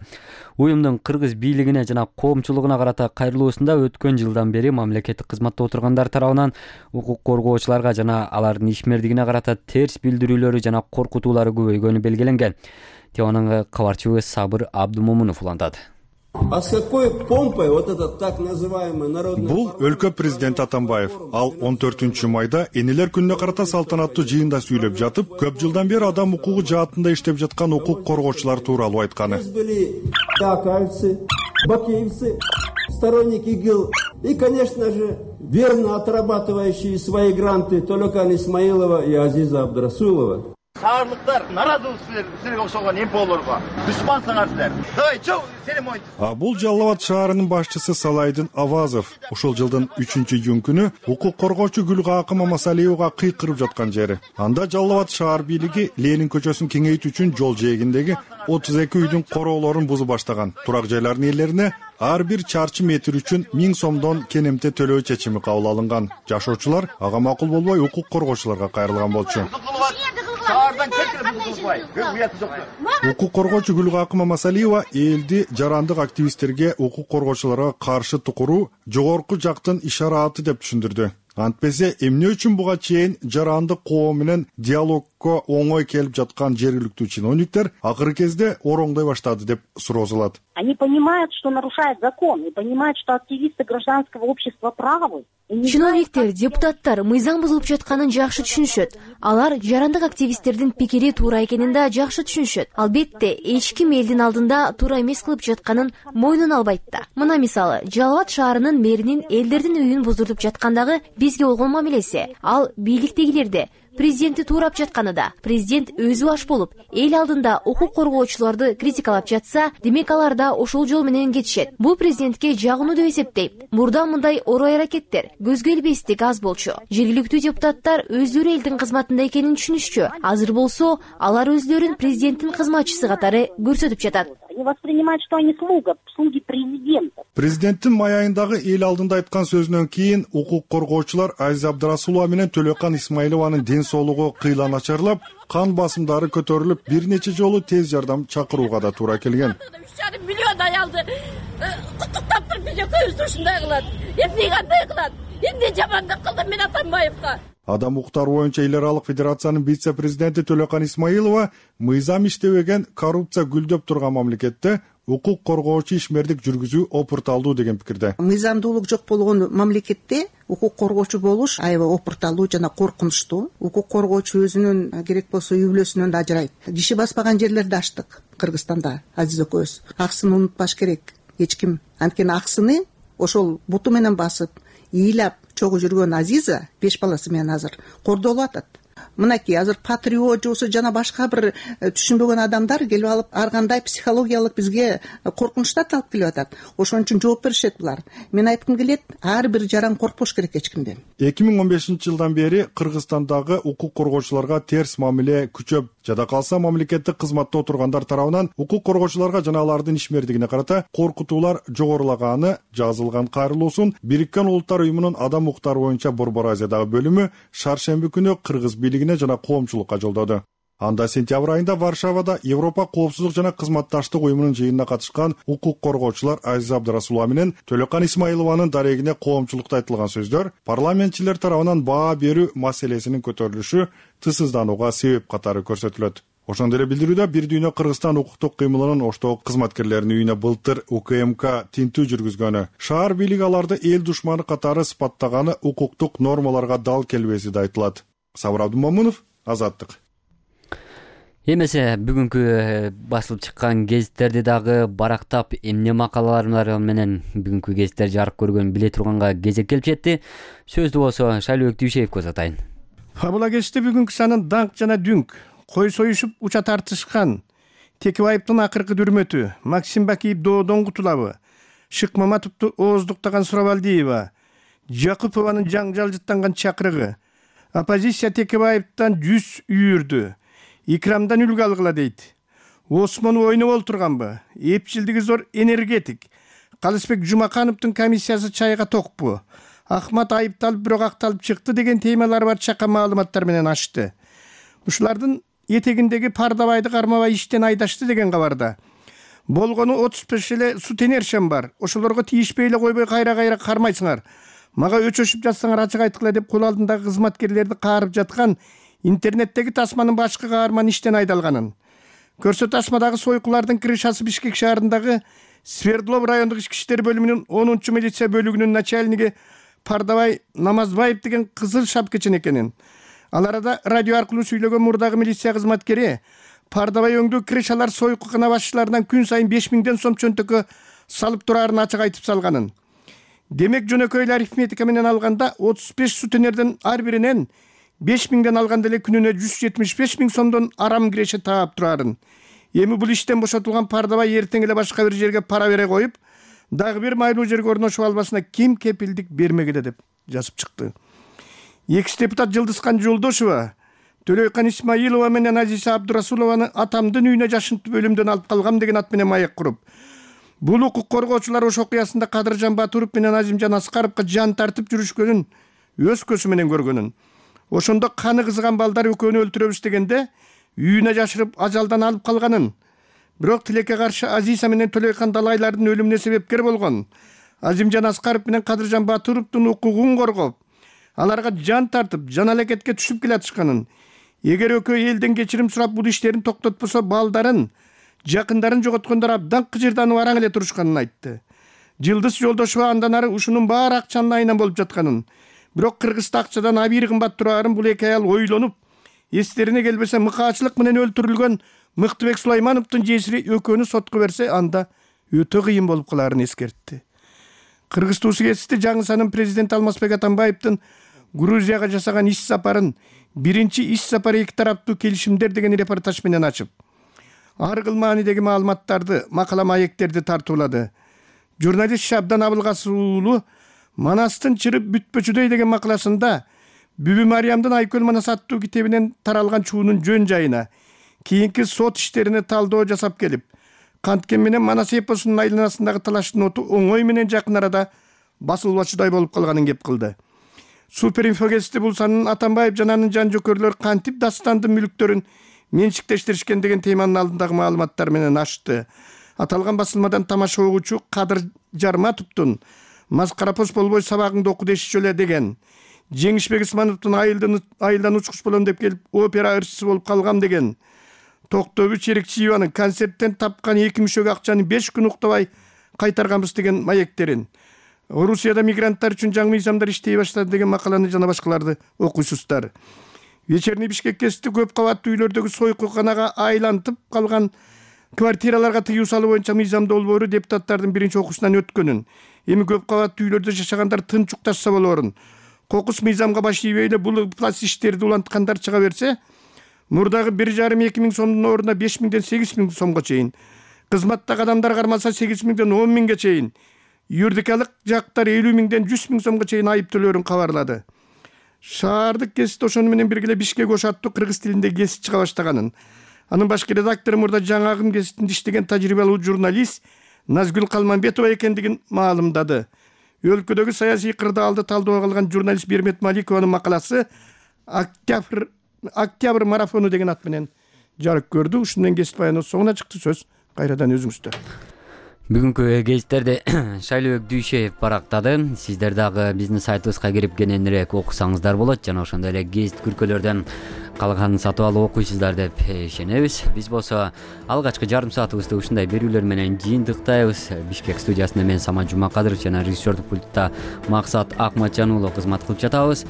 Уюмдун кыргыз бийлигине жана коомчулугуна карата кайрылуусунда өткөн жылдан бери мамлекеттик кызматта отургандар тарабынан укук коргоочуларга жана алардын ишмердигине карата терс билдирүүлөрү жана коркутуулары көбөйгөнү белгиленген. Теванын кабарчыбы Сабыр Абдумомунов улантат. А с какой помпой вот этот так называемый народный... Бул өлкө президенти Атамбаев. Ал он төртүнчү майда энелер күнүнө карата салтанаттуу жыйында сүйлөп жатып, көп жылдан бери адам укугу жаатында иштеп жаткан укук коргоочулар тууралуу айтканы. Были акаевцы, бакеевцы, сторонники ИГИЛ и, конечно же, верно отрабатывающие свои гранты Толокан Исмаилова и Азиза Абдрасулова. Саарлыктар наразылык силерге окшогон эмполорго душмансыңар силер. Давай, чоң, сени мойнтуз. А бул Жалал Абад шаарынын башчысы Салайдын Авазов. Ушул жылдын үчүнчү июнь күнү укук коргоочу Гүлгакы Мамасалиевага кыйкырып жаткан жери. Анда Жалал Абад шаар бийлиги Ленин көчөсүн кеңейтүү үчүн жол жээгиндеги отуз эки үйдүн короолорун бузуп баштаган. Турак жайлардын ээлерине ар бир чарчы метр үчүн миң сомдон кенемте төлөө чечими кабыл алынган. Жашоочулар ага макул болбой укук коргоочуларга кайрылган болчу. Укук коргоочу Гүлгакы Мамасалиева элди жарандык активисттерге укук коргоочуларга каршы тукуруу жогорку жактын ишараты деп түшүндүрдү. Антпесе эмне үчүн буга чейин жарандык коом менен диалогко оңой келип жаткан жергиликтүү чиновниктер акыркы кезде ороңдой баштады деп суроозулат. Они понимают, что нарушают закон, и понимают, что активисты гражданского общества правы. Чиновниктер, депутаттар мыйзам бузулуп жатканын жакшы түшүнүшөт. Алар жарандык активисттердин пикири туура экенин да жакшы түшүнүшөт. Албетте, эч ким элдин алдында туура эмес кылып жатканын мойнуна албайт да. Мына мисалы, Жалал Абад шаарынын мэринин элдердин үйүн буздуртуп жаткандагы бизге болгон мамилеси. Ал бийликтегилерде президентти туурап жатканы да. Президент өзү аш болуп, эл алдында укук коргоочуларды критикалап жатса, демек алар да ошол жол менен кетишет. Бул президентке жагынуу деп эсептейм. Мурда мындай орой аракеттер, көзгө илбестик аз болчу. Жергиликтүү депутаттар өздөрү элдин кызматында экенин түшүнүшчү. Азыр болсо, алар өздөрүн президенттин кызматчысы катары көрсөтүп жатат. Они воспринимают, что они слуга, слуги президента. Президенттин май айындагы эл алдында айткан сөзүнөн кийин укук коргоочулар Азиза Абдрасулова менен Төлөкан Исмаилованын ден соолугу кыйла начарлап, кан басымдары көтөрүлүп, бир нече жолу тез жардам чакырууга да туура келген. үч жарым миллион аялды куттуктап туруп биз экөөбүздү ушундай кылат. Эмне кандай кылат? Эмне жамандык кылдым мен Атамбаевга? Адам укуктары боюнча эл аралык федерациянын вице-президенти Төлөкан Исмаилова мыйзам иштебеген, коррупция гүлдөп турган мамлекетте укук коргоочу ишмердик жүргүзүү опурталдуу деген пикирде. Мыйзамдуулук жок болгон мамлекетте укук коргоочу болуш аябай опурталуу жана коркунучтуу. Укук коргоочу өзүнүн керек болсо үй бүлөсүнөн да ажырайт. Киши баспаган жерлерди ачтык Кыргызстанда, Азиз экөөбүз. Аксын унутпаш керек эч ким. Анткени аксыны ошол буту менен басып, ыйлап чогуу жүргөн Азиза беш баласы менен азыр кордолуп атат. Мынакей азыр патриот жосу жана башка бир түшүнбөгөн адамдар келип алып ар кандай психологиялык бизге коркунучтарды алып келип атат. Ошон үчүн жооп беришет булар. Мен айткым келет, ар бир жаран коркпош керек эч кимден. эки миң он бешинчи жылдан бери Кыргызстандагы укук коргоочуларга терс мамиле күчөп, жада калса мамлекеттик кызматта отургандар тарабынан укук коргоочуларга жана алардын ишмердигине карата коркутуулар жогорулаганы жазылган кайрылуусун Бириккен Улуттар уюмунун адам укуктары боюнча Борбор Азиядагы бөлүмү шаршемби күнү Кыргыз бийлигине жана коомчулукка жолдоду. Анда сентябрь айында Варшавада Европа коопсуздук жана кызматташтык уюмунун жыйынына катышкан укук коргоочулар Азиза Абдрасулова менен Төлөкан Исмаилованын дарегине коомчулукта айтылган сөздөр парламентчилер тарабынан баа берүү маселесинин көтөрүлүшү тысызданууга себеп катары көрсөтүлөт. Ошондой эле билдирүүдө Бир дүйнө Кыргызстан укуктук кыймылынын Оштогу кызматкерлеринин үйүнө былтыр У К М К тинтүү жүргүзгөнү, шаар бийлиги аларды эл душманы катары сыпаттаганы укуктук нормаларга дал келбеси да айтылат. Сабыр Абдумомунов, Азаттык. Эмесе бүгүнкү басылып чыккан гезиттерди дагы барактап эмне макалалар менен бүгүнкү гезиттер жарык көргөн биле турганга кезек келип жетти. Сөздү болсо Шайлообек Дүйшеевке узатайын. Фабула гезити бүгүнкү санын даңк жана дүңк, кой союшуп уча тартышкан, Текебаевдин акыркы дүрмөтү, Максим Бакиев доодон кутулабы, Шык Маматовду ооздуктаган Сурабалдиева, Жакупованын жаңжалжыттанган чакырыгы, оппозиция Текебаевден жүз үйүрдү, Икрамдан үлгү алгыла дейт. Осмон ойноп олтурганбы? Эпчилдиги зор энергетик. Калысбек Жумакановдун комиссиясы чайга токпу? Ахмат айыпталып бирок акталып чыкты деген темалар бар чака маалыматтар менен ачты. Ушулардын этегиндеги Пардабайды кармабай иштен айдашты деген кабарда. Болгону отуз беш эле сутенершем бар. Ошолорго тийишпей эле койбой кайра-кайра кармайсыңар. Мага өчөшүп жатсаңар ачык айткыла деп кол алдындагы кызматкерлерди каарып жаткан интернеттеги тасманын башкы каарман иштен айдалганын. Көрсө тасмадагы сойкулардын крышасы Бишкек шаарындагы Свердлов райондук ички иштер бөлүмүнүн онунчу милиция бөлүгүнүн начальниги Пардабай Намазбаев деген кызыл шапкачын экенин. Ал арада радио аркылуу сүйлөгөн мурдагы милиция кызматкери Пардабай өңдүү крышалар сойкукана башчыларынан күн сайын беш миңден сом чөнтөккө салып турарын ачык айтып салганын. Демек жөнөкөй эле арифметика менен алганда отуз беш сутенердин ар биринен беш миңден алганда эле күнүнө жүз жетимиш беш миң сомдон арам киреше таап турарын. Эми бул иштен бошотулган Пардабай эртең эле башка бир жерге пара бере коюп, дагы бир майлуу жерге орношуп албасына ким кепилдик бермегиле деп жазып чыкты. Экс депутат Жылдызкан Жолдошова Төлөйкан Исмаилова менен Азиза Абдурасулованы атамдын үйүнө жашынтып өлүмдөн алып калгам деген ат менен маек куруп, бул укук коргоочулар ош окуясында Кадыржан Батуров менен Азимжан Аскаровго жан тартып жүрүшкөнүн өз көзү менен көргөнүн. Ошондо каны кызган балдар экөөнү өлтүрөбүз дегенде үйүнө жашырып ажалдан алып калганын. Бирок тилекке каршы Азиза менен Төлөйкан Далайлардын өлүмүнө себепкер болгон Азимжан Аскаров менен Кадыржан Батуровдун укугун коргоп, аларга жан тартып, жан алекетке түшүп келатышканын. Эгер экөө элден кечирим сурап бул иштерин токтотпосо балдарын, жакындарын жоготкондор абдан кыжырданып араң эле турушканын айтты. Жылдыз Жолдошова андан ары ушунун баары акчанын айынан болуп жатканын, бирок Кыргызда акчадан абийир кымбат турарын бул эки аял ойлонуп, эстерине келбесе мыкаачылык менен өлтүрүлгөн Мыктыбек Сулаймановдун жесири экөөнү сотко берсе, анда өтө кыйын болуп каларын эскертти. Кыргыз туусу гезити жаңы президент Алмазбек Атамбаевдин Грузияга жасаган иш сапарын биринчи иш сапар эки тараптуу келишимдер деген репортаж менен ачып, ар кыл маанидеги маалыматтарды, макала маектерди тартуулады. Журналист Шабдан Абылгасов уулу Манастын чырып бүтпөчүдөй деген макаласында Бүбү Мариямдын Айкөл Манас аттуу китебинен таралган чуунун жөн жайына, кийинки сот иштерине талдоо жасап келип, канткен менен Манас эпосунун айланасындагы талаштын оту оңой менен жакын арада басылбачудай болуп калганын кеп кылды. Суперинфо гезити бул санын Атамбаев жана анын жан жокөрлөр кантип дастандын мүлктөрүн менчиктештиришкен деген теманын алдындагы маалыматтар менен ачты. Аталган басылмадан тамаша угуучу Кадыр Жарматовдун Маскарапоз болбой сабагыңды оку дешчү эле деген, Жеңишбек Исмановдун айылдан учкуч болом деп келип опера ырчысы болуп калгам деген, Токтобү Черекчиеванын концерттен тапкан эки мүшөгө акчаны беш күн уктабай кайтарганбыз деген маектерин, Орусияда мигранттар үчүн жаңы мыйзамдар иштей баштады деген макаланы жана башкаларды окуйсуздар. Вечерний Бишкек гезити көп кабаттуу үйлөрдөгү сойкуканага айлантып калган квартираларга тыюу салуу боюнча мыйзамдоо болбоору депутаттардын биринчи окуусунан өткөнүн, эми көп кабаттуу үйлөрдө жашагандар тынчукташса болоорун, кокус мыйзамга баш ийбей эле бул пласт иштерди уланткандар чыга берсе, мурдагы бир жарым эки миң сомдун ордуна беш миңден сегиз миң сомго чейин, кызматтагы адамдар кармалса сегиз миңден он миңге чейин, юридикалык жактар элүү миңден жүз миң сомго чейин айып төлөөрүн кабарлады. Шаардык гезит ошону менен бирге эле Бишкек ош аттуу кыргыз тилинде гезит чыга баштаганын, анын башкы редактору мурда жаңагын гезитинде иштеген тажрыйбалуу журналист Назгүл Калманбетова экендигин маалымдады. Өлкөдөгү саясий кырдаалды талдоого алган журналист Бермет Маликованын макаласы Октябрь Октябрь марафону деген ат менен жарык көрдү. Ушуну менен гезит баяныбыз соңуна чыкты. Сөз кайрадан өзүңүздө. Бүгүнкү гезиттерди Шайлообек Дүйшеев барактады. Сиздер дагы биздин сайтыбызга кирип кененирээк окусаңыздар болот жана ошондой эле гезит күркөлөрдөн калганын сатып алып окуйсуздар деп ишенебиз. Биз болсо алгачкы жарым саатыбызды ушундай берүүлөр менен жыйынтыктайбыз. Бишкек студиясында мен Самат Жумакадыров жана режиссердук пультта Максат Акматжан уулу кызмат кылып жатабыз.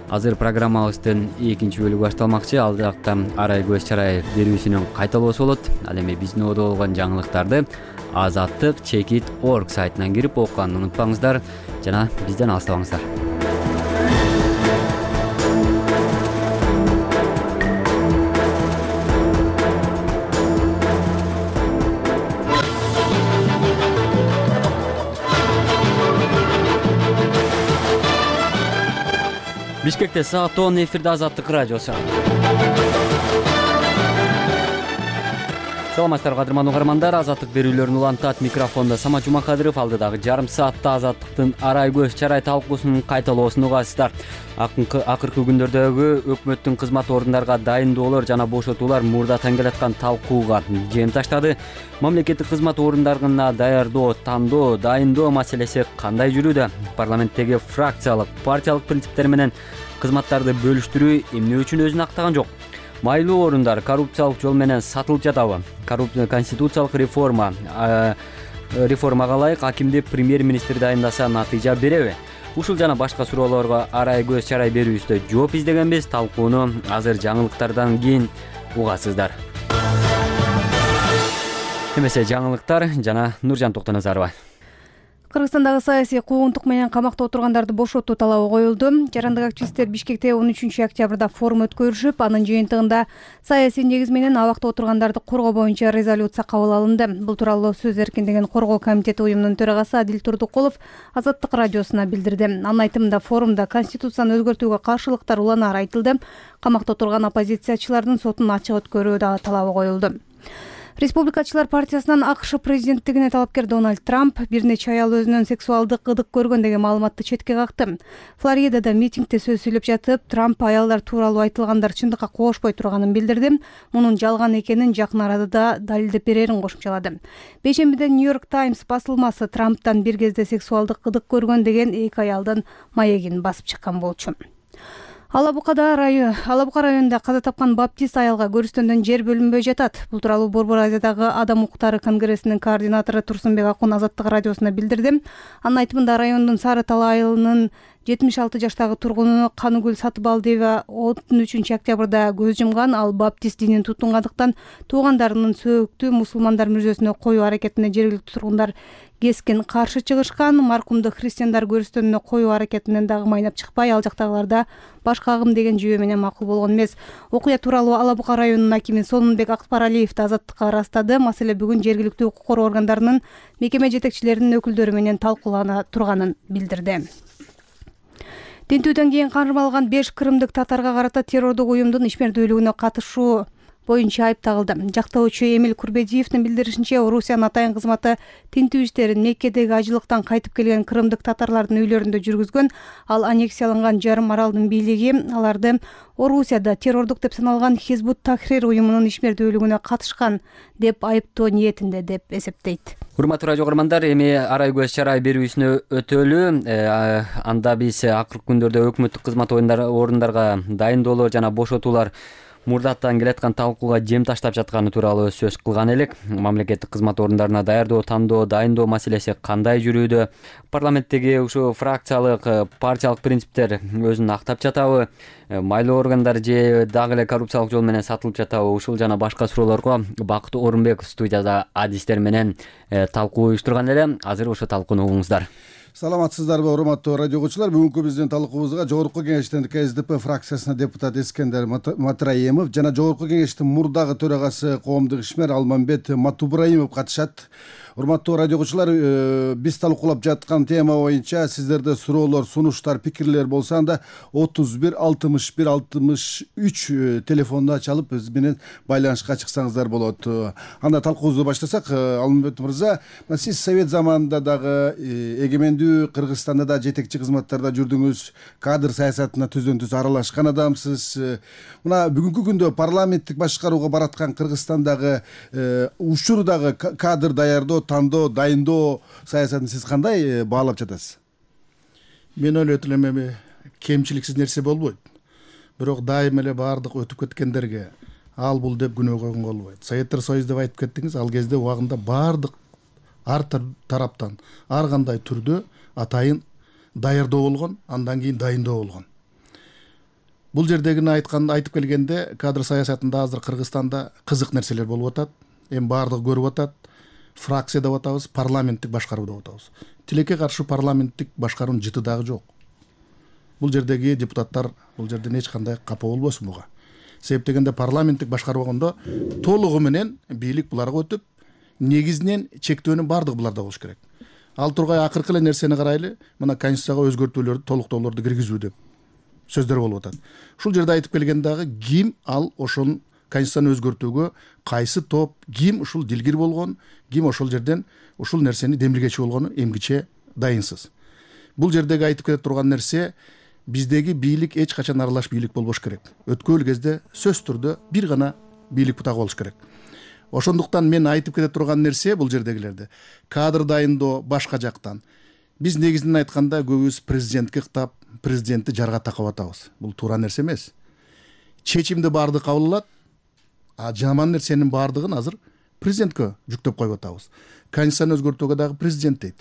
Азыр программабыздын экинчи бөлүгү башталмакчы. Ал жакта арай көз чарай берүүсүнүн кайталоосу болот. Ал эми биздин оодо болгон жаңылыктарды азаттык чекит точка орг сайтынан кирип окуганды унутпаңыздар жана бизден алыстабаңыздар. Бишкекте саат он, эфирде Азаттык радиосу. Саламатсыздар кадырман угармандар, азаттык берүүлөрүн улантат микрофондо Самат Жумакадыров. Алдыдагы жарым саатта азаттыктын арай көз чарай талкуусунун кайталоосун угасыздар. Акыркы күндөрдөгү өкмөттүн кызмат орундарга дайындоолор жана бошотуулар мурдатан келаткан талкууга жем таштады. Мамлекеттик кызмат орундарына даярдоо, тандоо, дайындоо маселеси кандай жүрүүдө? Парламенттеги фракциялык, партиялык принциптер менен кызматтарды бөлүштүрүү эмне үчүн өзүн актаган жок? Майлуу орундар коррупциялык жол менен сатылып жатабы? Конституциялык реформа реформага ылайык акимди премьер-министр дайындаса натыйжа береби? Ушул жана башка суроолорго арай көз чарай берүүбүздө жооп издегенбиз. Талкууну азыр жаңылыктардан кийин угасыздар. Эмесе жаңылыктар жана Нуржан Токтоназарова. Кыргызстандагы саясий куугунтук менен камакта отургандарды бошотуу талабы коюлду. Жарандык активисттер Бишкекте он үчүнчү октябрда форум өткөрүшүп, анын жыйынтыгында саясий негиз менен абакта отургандарды коргоо боюнча резолюция кабыл алынды. Бул тууралуу Сөз эркиндигин коргоо комитети уюмунун төрагасы Адил Турдукулов Азаттык радиосуна билдирди. Анын айтымында форумда конституцияны өзгөртүүгө каршылыктар уланаар айтылды. Камакта отурган оппозициячылардын сотун ачык өткөрүү дагы талабы коюлду. Республикачылар партиясынан АКШ президенттигине талапкер Дональд Трамп бир нече аял өзүнөн сексуалдык ырдык көргөн деген маалыматты четке какты. Флоридада митингде сөз сүйлөп жатып, Трамп аялдар тууралуу айтылгандар чындыкка кошпой турганын билдирди. Мунун жалган экенин жакын арада далилдеп берерин кошумчалады. Бейшембиде Нью-Йорк Таймс басылмасы Трамптан бир кезде сексуалдык ырдык көргөн деген эки аялдын маегин басып чыккан болчу. Алабукада район, Алабука районунда каза тапкан баптист аялга көрүстөндөн жер бөлүнбөй жатат. Бул тууралуу Борбор Азиядагы Адам укуктары конгрессинин координатору Турсунбек Акун Азаттык радиосуна билдирди. Анын айтымында райондун Сары Тал айылынын жетимиш алты жаштагы тургуну Каныгүл Сатыбалдиева он үчүнчү октябрда көз жумган. Ал баптист динин тутунгандыктан туугандарынын сөөктү мусулмандар мүрзөсүнө коюу аракетине жергиликтүү тургундар кескен каршы чыгышкан. Маркумду христиандар көрүстөнүнө коюу аракетинен дагы майнап чыкпай, ал жактагыларда башка агым деген жүйө менен макул болгон эмес. Окуя тууралуу Алабука районунун акими Сонунбек Акпаралиев Азаттыкка ырастады. Маселе бүгүн жергиликтүү укук коргоо органдарынын мекеме жетекчилеринин өкүлдөрү менен талкуулана турганын билдирди. Тинтүүдөн кийин кармалган беш кырымдык татарга карата террордук уюмдун ишмердүүлүгүнө катышуу боюнча айып тагылды. Жактоочу Эмил Курбедиевдин билдиришинче, Орусиянын атайын кызматы тинтүү иштерин Меккедеги ажылыктан кайтып келген кырымдык татарлардын үйлөрүндө жүргүзгөн. Ал аннексияланган жарым аралдын бийлиги аларды Орусияда террордук деп саналган Хизбут Тахрир уюмунун ишмердүүлүгүнө катышкан деп айыптоо ниетинде деп эсептейт. Урматтуу радио угармандар, эми арай көз чарай берүүсүнө өтөлү. Анда биз акыркы күндөрдө өкмөттүк кызмат орундарга дайындоолор жана бошотуулар мурдаттан келаткан талкууга жем таштап жатканы тууралуу сөз кылган элек. Мамлекеттик кызмат орундарына даярдоо, тандоо, дайындоо маселеси кандай жүрүүдө? Парламенттеги ушу фракциялык, партиялык принциптер өзүн актап жатабы? Майлуу органдар же дагы эле коррупциялык жол менен сатылып жатабы? Ушул жана башка суроолорго Бакыт Орунбеков студияда адистер менен талкуу уюштурган эле. Азыр ошо талкууну угуңуздар. Саламатсыздарбы, урматтуу радио окуучулар. Бүгүнкү биздин талкуубузга Жогорку кеңештин КСДП фракциясына депутат Эскендер Матраимов жана Жогорку кеңештин мурдагы төрагасы коомдук ишмер Алмамбет Матубраимов катышат. Урматтуу радио окуучулар, биз талкуулап жаткан тема боюнча сиздерде суроолор, сунуштар, пикирлер болсо анда отуз бир алтымыш бир алтымыш үч телефонуна чалып биз менен байланышка чыксаңыздар болот. Анда талкуубузду баштасак, Алмамбет мырза, сиз совет заманында дагы эгемендүү Кыргызстанда да жетекчи кызматтарда жүрдүңүз, кадр саясатына түздөн түз аралашкан адамсыз. Мына бүгүнкү күндө парламенттик башкарууга бараткан Кыргызстандагы учурдагы кадр даярдоо, тандоо, дайындоо саясатын сиз кандай баалап жатасыз? Мен ойлойт элем, эми кемчиликсиз нерсе болбойт. Бирок дайым эле баардык өтүп кеткендерге ал бул деп күнөө койгонго болбойт. Советтер Союзу деп айтып кеттиңиз, ал кезде убагында баардык ар тараптан ар кандай түрдө атайын даярдоо болгон, андан кийин дайындоо болгон. бул жердегини айткан айтып келгенде кадр саясатында азыр Кыргызстанда кызык нерселер болуп атат. Эми баардыгы көрүп атат. Фракция деп атабыз, парламенттик башкаруу деп атабыз. Тилекке каршы парламенттик башкаруунун жыты дагы жок. Бул жердеги депутаттар бул жерден эч кандай капа болбосун буга. Себеп дегенде парламенттик башкаруу болгондо толугу менен бийлик буларга өтүп, негизинен чектөөнүн баардыгы буларда болуш керек. Ал тургай акыркы эле нерсени карайлы, мына конституцияга өзгөртүүлөрдү, толуктоолорду киргизүү деп сөздөр болуп атат. Ушул жерде айтып келген дагы ким ал ошол конституцияны өзгөртүүгө кайсы топ, ким ушул дилгир болгон, ким ошол жерден ушул нерсени демилгечи болгону эмгиче дайынсыз. Бул жердеги айтып келе турган нерсе, биздеги бийлик эч качан аралаш бийлик болбош керек. Өткөн кезде сөз түрдө бир гана бийлик бутагы болуш керек. Ошондуктан мен айтып кете турган нерсе бул жердегилерде кадр дайындоо башка жактан. Биз негизинен айтканда көбүбүз президентке ыктап, президентти жарга такап атабыз. Бул туура нерсе эмес. Чечимди баардыгы кабыл алат, а жаман нерсенин баардыгын азыр президентке жүктөп коюп атабыз. Конституцияны өзгөртүүгө дагы президент дейт.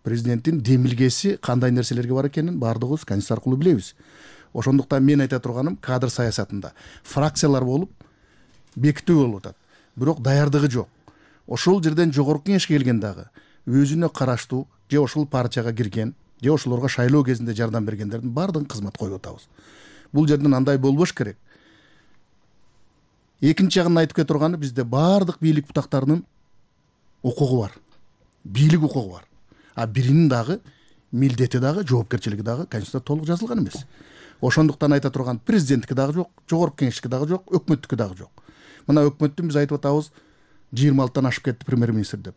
Президенттин демилгеси кандай нерселерге бар экенин баардыгыбыз конституция аркылуу билебиз. Ошондуктан мен айта турганым кадр саясатында фракциялар болуп бекитүү болуп атат. Бирок даярдыгы жок. Ошол жерден жогорку кеңешке келген дагы өзүнө караштуу же ошол партияга кирген, же ошолорго шайлоо кезинде жардам бергендердин баардыгын кызмат коюп атабыз. Бул жерден андай болбош керек. Экинчи жагын айтып кете турганы бизде баардык бийлик бутактарынын укугу бар. Бийлик укугу бар. А биринин дагы милдети дагы, жоопкерчилиги дагы конституцияда толук жазылган эмес. Ошондуктан айта турган президенттики дагы жок, жогорку кеңештики дагы жок, өкмөттүкү дагы жок. Мына өкмөттүн биз айтып атабыз жыйырма алтыдан ашып кетти премьер-министр деп.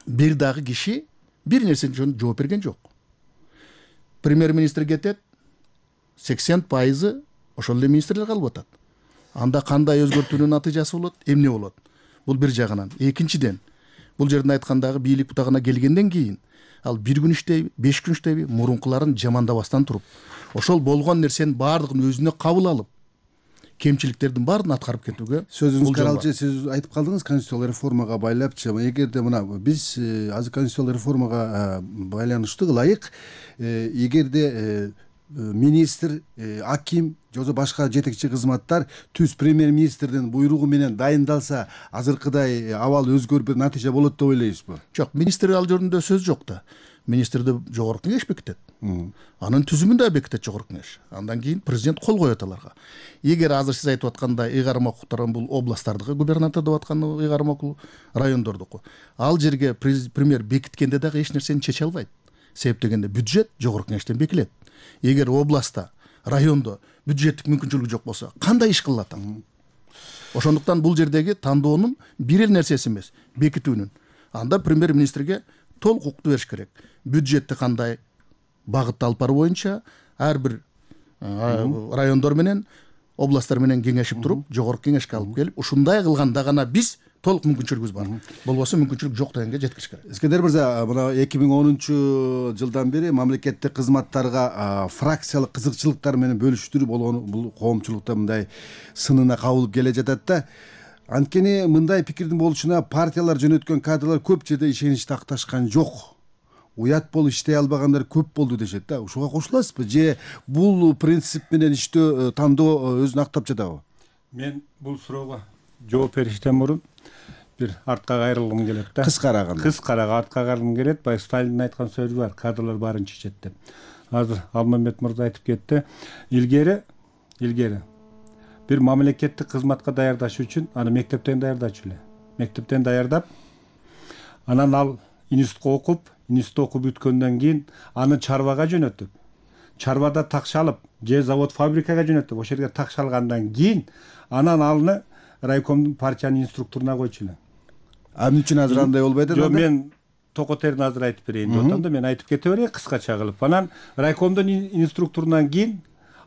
Бир дагы киши бир нерсе үчүн жооп берген жок. Премьер-министр кетет, сексен пайызы ошол эле министрлер калып атат. Анда кандай өзгөртүүнүн натыйжасы болот, эмне болот? Бул бир жагынан. Экинчиден, бул жерден айткандагы бийлик бутагына келгенден кийин ал бир күн иштейби, беш күн иштейби, мурункуларын жамандабастан туруп, ошол болгон нерсенин баардыгын өзүнө кабыл алып, кемчиликтердин баарын аткарып кетүүгө. Сөзүңүз каралчы, сиз айтып калдыңыз конституциялык реформага байлапчы. Эгерде мына биз азыр конституциялык реформага байланыштуу ылайык, эгерде министр, аким же башка жетекчи кызматтар түз премьер-министрдин буйругу менен дайындалса, азыркыдай абал өзгөрүп бир натыйжа болот деп ойлойсузбу? Жок, министр ал жөнүндө сөз жок да. Министрди жогорку кеңеш бекитет. Анын түзүмүн да бекитет жогорку кеңеш. Андан кийин президент кол коет аларга. Эгер азыр сиз айтып аткандай ыйгарым укуктарын бул областтардыкы губернатор деп аткан ыйгарым укук райондордуку. Ал жерге премьер бекиткенде дагы эч нерсени чече албайт. Себеп дегенде бюджет жогорку кеңештен бекилет. Эгер областта, райондо бюджеттик мүмкүнчүлүгү жок болсо, кандай иш кылат ал? Ошондуктан бул жердеги тандоонун бир эле нерсеси эмес, бекитүүнүн. Анда премьер-министрге толук укукту бериш керек. Бюджетти кандай багытта алып баруу боюнча ар бир райондор менен, областтар менен кеңешип туруп, жогорку кеңешке алып келип, ушундай кылганда гана биз толук мүмкүнчүлүгүбүз бар. Болбосо мүмкүнчүлүк жок дегенге жеткириш керек. Искендер мырза, мына эки миң онунчу жылдан бери мамлекеттик кызматтарга фракциялык кызыкчылыктар менен бөлүштүрүү болгон бул коомчулукта мындай сынына кабылып келе жатат да. Анткени мындай пикирдин болушуна партиялар жөнөткөн кадрлар көп жерде ишенич такташкан жок. Уят болуп иштей албагандар көп болду дешет да. Ушуга кошуласызбы же бул принцип менен иштөө, тандоо өзүн актап жатабы? Мен бул суроого жооп бериштен мурун бир артка кайрылгым келет да. Кыскараган. Кыскарак артка кайрылгым келет. Баягы Сталиндин айткан сөзү бар, кадрлар баарын чечет деп. Азыр Алмамбет мырза айтып кетти. Илгери, илгери бир мамлекеттик кызматка даярдаш үчүн аны мектептен даярдачу эле. Мектептен даярдап, анан ал институтка окуп, институтта окуп бүткөндөн кийин аны чарбага жөнөтүп, чарбада такшалып, же завод фабрикага жөнөтүп, ошол жерге такшалгандан кийин анан алны райкомдун партиянын инструкторуна койчу эле. А эмне үчүн азыр андай болбойт? Жок, мен токотерин азыр айтып берейин деп атам да, мен айтып кете берейин кыскача кылып. Анан райкомдун инструкторунан кийин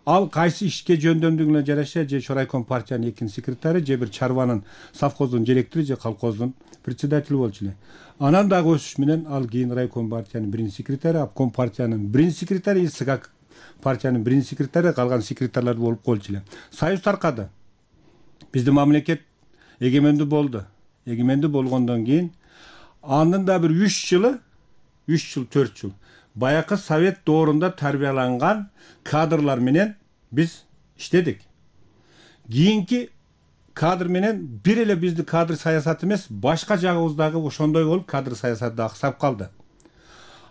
ал кайсы ишке жөндөмдүгүнө жараша же райком партиянын экинчи секретары, же бир чарбанын совхоздун директору, же колхоздун председатели болчу эле. Анан дагы өсүш менен ал кийин райком партиянын биринчи секретары, обком партиянын биринчи секретары, СК партиянын биринчи секретары, калган секретарлар болуп колчу эле. Союз таркады. Биздин мамлекет эгемендүү болду. Эгемендүү болгондон кийин анын да бир үч жылы, үч жыл, төрт жыл баякы совет доорунда тарбияланган кадрлар менен биз иштедик. Кийинки кадр менен бир эле бизди кадр саясаты эмес, башка жагыбыз дагы ошондой болуп кадр саясаты да аксап калды.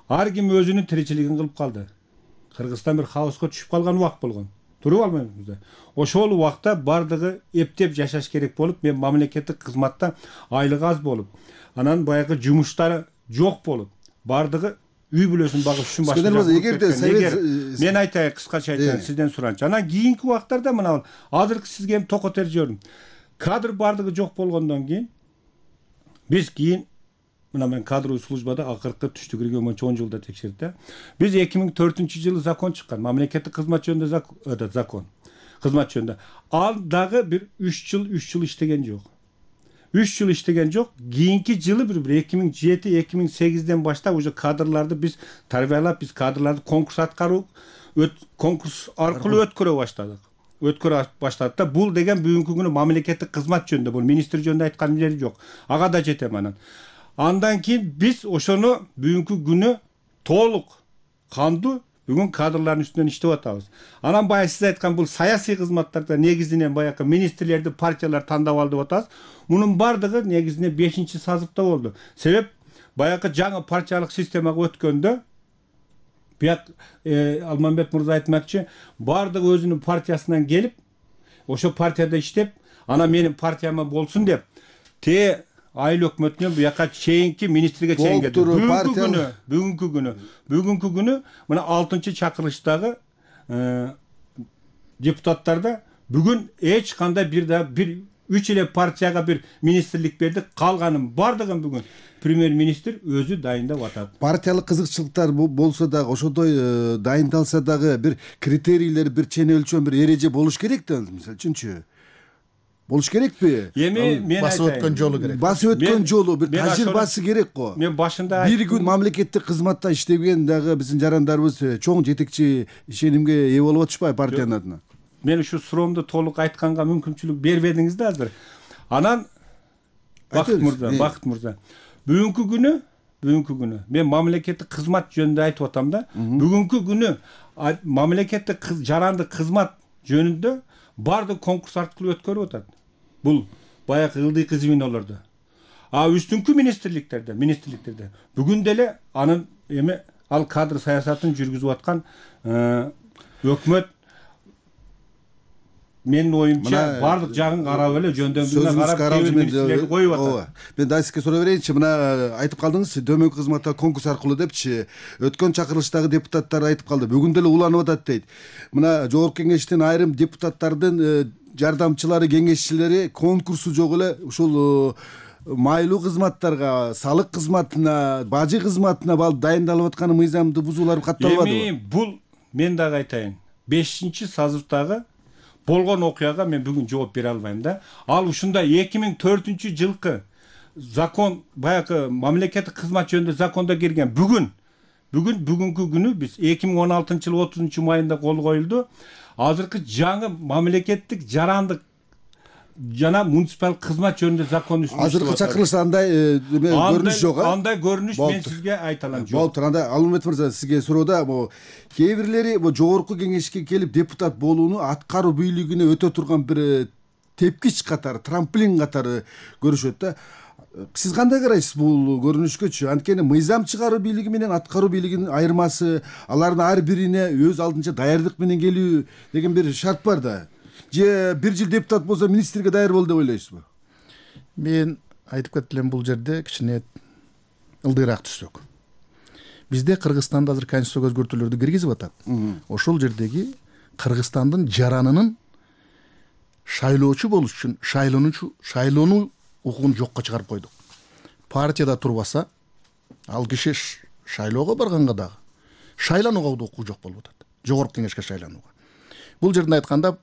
Ар ким өзүнүн тиричилигин кылып калды. Кыргызстан бир хаоска түшүп калган убак болгон. Туруп албайбызбы? Ошол убакта бардыгы эптеп жашаш керек болуп, мен мамлекеттик кызматта айлык аз болуп, анан баягы жумуштары жок болуп, бардыгы үй бүлөсүн багыш үчүн башка. Эгерде совет мен айтайын, кыскача айтайын, сизден суранчы. Анан кийинки убактарда мына азыркы сизге эми токотер жөрүм. Кадр бардыгы жок болгондон кийин биз кийин мына мен кадровый службада акыркы түштү кирген боюнча он жылда текшерди. Биз эки миң төртүнчү жылы закон чыккан, мамлекеттик кызмат жөнүндө закон. Кызмат жөнүндө. Ал дагы бир үч жыл, үч жыл иштеген жок. үч жыл иштеген жок. Кийинки жылы бир эки миң жети, эки миң сегизден баштап уже кадрларды биз тарбиялап, биз кадрларды конкурс аткаруу, конкурс аркылуу өткөрө баштадык. Өткөрө баштадык да, бул деген бүгүнкү күнү мамлекеттик кызмат жөнүндө, бул министр жөнүндө айткан жери жок. Ага да жетем анан. Андан кийин биз ошону бүгүнкү күнү толук кандуу бүгүн кадрлардын үстүнөн иштеп атабыз. Анан баягы сиз айткан бул саясий кызматтарда негизинен баягы министрлерди партиялар тандап алды деп атабыз. Мунун бардыгы негизинен бешинчи сазыпта болду. Себеп баягы жаңы партиялык системага өткөндө бияк Алмамбет мырза айтмакчы, бардыгы өзүнүн партиясынан келип, ошо партияда иштеп, анан менин партияма болсун деп, те айыл өкмөтүнөн буяка чейинки министрге чейин келди. Бүгүнкү күнү, бүгүнкү күнү, бүгүнкү күнү мына алтынчы чакырылыштагы депутаттарда бүгүн эч кандай бир да бир үч эле партияга бир министрлик берди, калганын бардыгын бүгүн премьер-министр өзү дайындап атат. Партиялык кызыкчылыктар болсо дагы, ошондой дайындалса дагы бир критерийлер, бир чен өлчөм, бир эреже болуш керек да, мисалы үчүнчү. Болуш керекпи? Эми мен басып өткөн жолу керек. Басып өткөн жолу бир тажрыйбасы керек го. Мен башында бир күн мамлекеттик кызматта иштеген дагы биздин жарандарыбыз чоң жетекчи ишенимге ээ болуп атышпайбы партиянын адына? Мен ушу суроомду толук айтканга мүмкүнчүлүк бербедиңиз да азыр. Анан Бакыт мырза, Бакыт мырза. Бүгүнкү күнү, бүгүнкү күнү мен мамлекеттик кызмат жөнүндө айтып атам да. Бүгүнкү күнү мамлекеттик жарандык кызмат жөнүндө бардык конкурс аркылуу өткөрүп атат. Бул баягы ылдыйкы звенолордо. А үстүнкү министрликтерде, министрликтерде бүгүн деле анын эми ал кадр саясатын жүргүзүп аткан өкмөт менин оюмча бардык жагын карап эле жөндөмдүгүнө карап министрлерди коюп атат. Мен да сизге суроо берейинчи, мына айтып калдыңыз, дөмөнкү кызматта конкурс аркылуу депчи, өткөн чакырылыштагы депутаттар айтып калды, бүгүн деле уланып атат дейт. Мына жогорку кеңештин айрым депутаттардын жардамчылары, кеңешчилери конкурсу жок эле ушул майлуу кызматтарга, салык кызматына, бажы кызматына бал дайындалып атканы мыйзамды бузуулар катталбадыбы? Эми бул мен дагы айтайын, бешинчи сазывдагы болгон окуяга мен бүгүн жооп бере албайм да. Ал ушундай эки миң төртүнчү жылкы закон, баягы мамлекеттик кызмат жөнүндө закондо кирген бүгүн бүгүн бүгүнкү күнү биз эки миң он алтынчы жылы отузунчу майында кол коюлду. Азыркы жаңы мамлекеттик жарандык жана муниципалдык кызмат жөнүндө закон үстүндө азыркы чакырылышта андай көрүнүш жок. Андай көрүнүш мен сизге айта алам жок. Болуптур. Анда Алмамбет мырза, сизге суроода кээ бирлери жогорку кеңешке келип депутат болууну аткаруу бийлигине өтө турган бир тепкич катары, трамплин катары көрүшөт да. Сиз кандай карайсыз бул көрүнүшкөчү? Анткени мыйзам чыгаруу бийлиги менен аткаруу бийлигинин айырмасы, алардын ар бирине өз алдынча даярдык менен келүү деген бир шарт бар да. Же бир жыл депутат болсо министрге даяр бол деп ойлойсузбу? Мен айтып кетти элем, бул жерде кичине ылдыйраак түшсөк. Бизде Кыргызстанда азыр конституцияга өзгөртүүлөрдү киргизип атат. Ошол жердеги Кыргызстандын жаранынын шайлоочу болуш үчүн шайлоонучу шайлоону укугун жокко чыгарып койдук. Партияда турбаса, ал киши шайлоого барганга дагы шайланууга да укугу жок болуп атат. Жогорку кеңешке шайланууга. Бул жерден айтканда,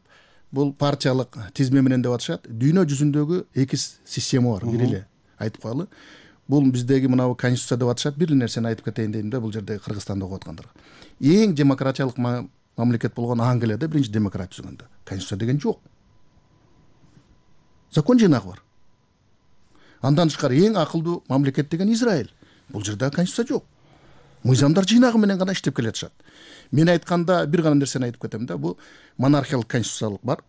бул партиялык тизме менен деп атышат. Дүйнө жүзүндөгү эки система бар, бир эле айтып коелу. Бул биздеги мынабу конституция деп атышат. Бир нерсени айтып кетейин дейм да, бул жерде Кыргызстанда окуп аткандарга. Эң демократиялык мамлекет болгон Англияда биринчи демократия түзгөндө конституция деген жок. Закон жыйнагы бар. Андан тышкары эң акылдуу мамлекет деген Израиль. Бул жерде конституция жок. мыйзамдар жыйнагы менен гана иштеп келатышат. Мен айтканда бир гана нерсени айтып кетем да, бул монархиялык конституциялык бар.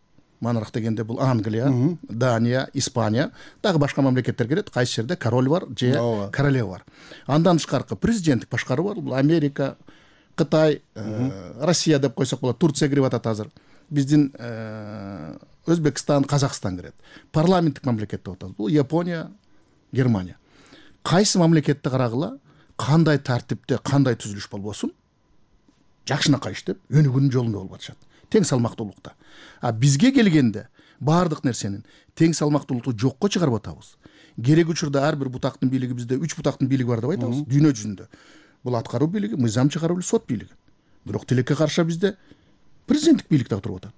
Монарх дегенде бул Англия, Дания, Испания, дагы башка мамлекеттер кирет. Кайсы жерде король бар же королева бар. Андан тышкаркы президенттик башкаруу бар. Бул Америка, Кытай, Россия деп койсок болот. Турция кирип атат азыр. Биздин Өзбекстан, Казакстан кирет. Парламенттик мамлекет деп атабыз. Бул Япония, Германия. Кайсы мамлекетти карагыла, кандай тартипте, кандай түзүлүш болбосун, жакшынакай иштеп, өнүгүүнүн жолунда болуп атышат. Тең салмактуулукта. А бизге келгенде баардык нерсенин тең салмактуулукту жокко чыгарып атабыз. Керек учурда ар бир бутактын бийлиги, бизде үч бутактын бийлиги бар деп айтабыз дүйнө жүзүндө. Бул аткаруу бийлиги, мыйзам чыгаруу бийлиги, сот бийлиги. Бирок тилекке каршы бизде президенттик бийлик дагы туруп атат.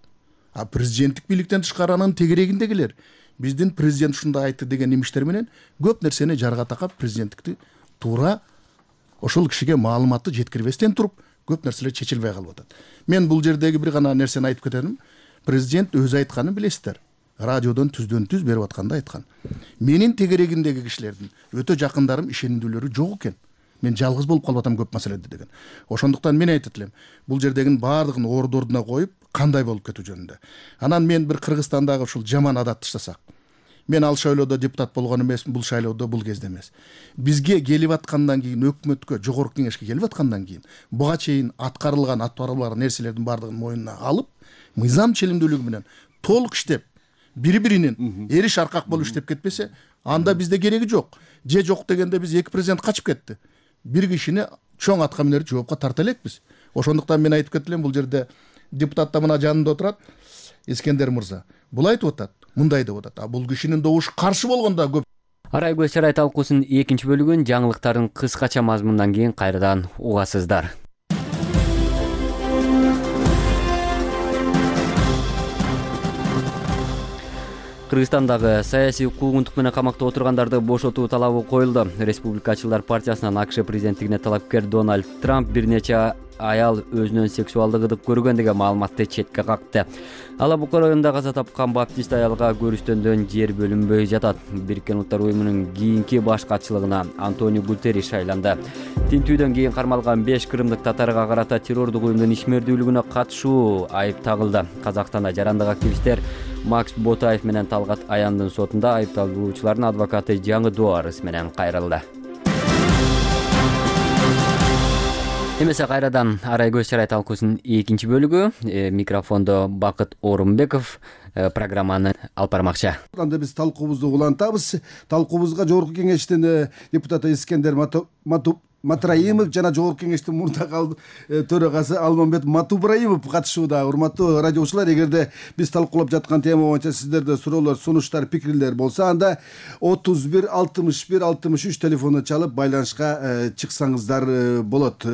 А президенттик бийликтен тышкары анын тегерегиндегилер биздин президент ушундай айтты деген имиштер менен көп нерсени жарга такап, президенттикти туура ошол кишиге маалыматты жеткирбестен туруп көп нерселер чечилбей калып атат. Мен бул жердеги бир гана нерсени айтып кетем. Президент өзү айтканын билесиздер. Радиодон түздөн түз берип атканда айткан. Менин тегерегимдеги кишилердин өтө жакындарым, ишенимдүүлөрү жок экен. Мен жалгыз болуп калып атам көп маселеде деген. Ошондуктан мен айтып элем, бул жердегин баардыгын орду ордуна коюп, кандай болуп кетүү жөнүндө. Анан мен бир Кыргызстандагы ушул жаман адатты таштасак. Мен ал шайлоодо депутат болгон эмесмин, бул шайлоодо бул кезде эмес. Бизге келип аткандан кийин, өкмөткө, жогорку кеңешке келип аткандан кийин, буга чейин аткарылган, аткарылбаган нерселердин баардыгын мойнуна алып, мыйзам ченемдүүлүгү менен толук иштеп, бири-биринин эриш аркак болуп иштеп кетпесе, анда бизде кереги жок. Же жок дегенде биз эки президент качып кетти. Бир кишини чоң атка минерди жоопко тарта элекпиз. Ошондуктан мен айтып кеттим, бул жерде депутат да мына жанында отурат, Искендер мырза. Бул айтып атат, мындай деп атат. А бул кишинин добушу каршы болгондо көп. Арай көз чарай талкуусунун экинчи бөлүгүн жаңылыктардын кыскача мазмунунан кийин кайрадан угасыздар. Кыргызстандагы саясий куугунтук менен камакта отургандарды бошотуу талабы коюлду. Республикачылар партиясынан АКШ президенттигине талапкер Дональд Трамп бир нече аял өзүнөн сексуалдык ыдык көргөн деген маалыматты четке какты. Алабука районунда каза тапкан баптист аялга көрүштөндөн жер бөлүнбөй жатат. Бириккен Улуттар уюмунун кийинки баш катчылыгына Антонио Гутерриш шайланды. Тинтүүдөн кийин кармалган беш кырымдык татарга карата террордук уюмдун ишмердүүлүгүнө катышуу айып тагылды. Казакстанда жарандык активисттер Макс Ботаев менен Талгат Аяндын сотунда айыпталуучулардын адвокаты жаңы доо арыз менен кайрылды. Эмесе кайрадан Арай көз чарай талкуусунун экинчи бөлүгү. Микрофондо Бакыт Орунбеков программаны алып бармакчы. Анда биз талкуубузду улантабыз. Талкуубузга жогорку кеңештин депутаты Искендер Матраимов жана жогорку кеңештин мурдагы төрагасы Алмамбет Матубраимов катышууда. Урматтуу радиочулар, эгерде биз талкуулап жаткан тема боюнча сиздерде суроолор, сунуштар, пикирлер болсо, анда отуз бир алтымыш бир алтымыш үч телефону чалып байланышка чыксаңыздар болот.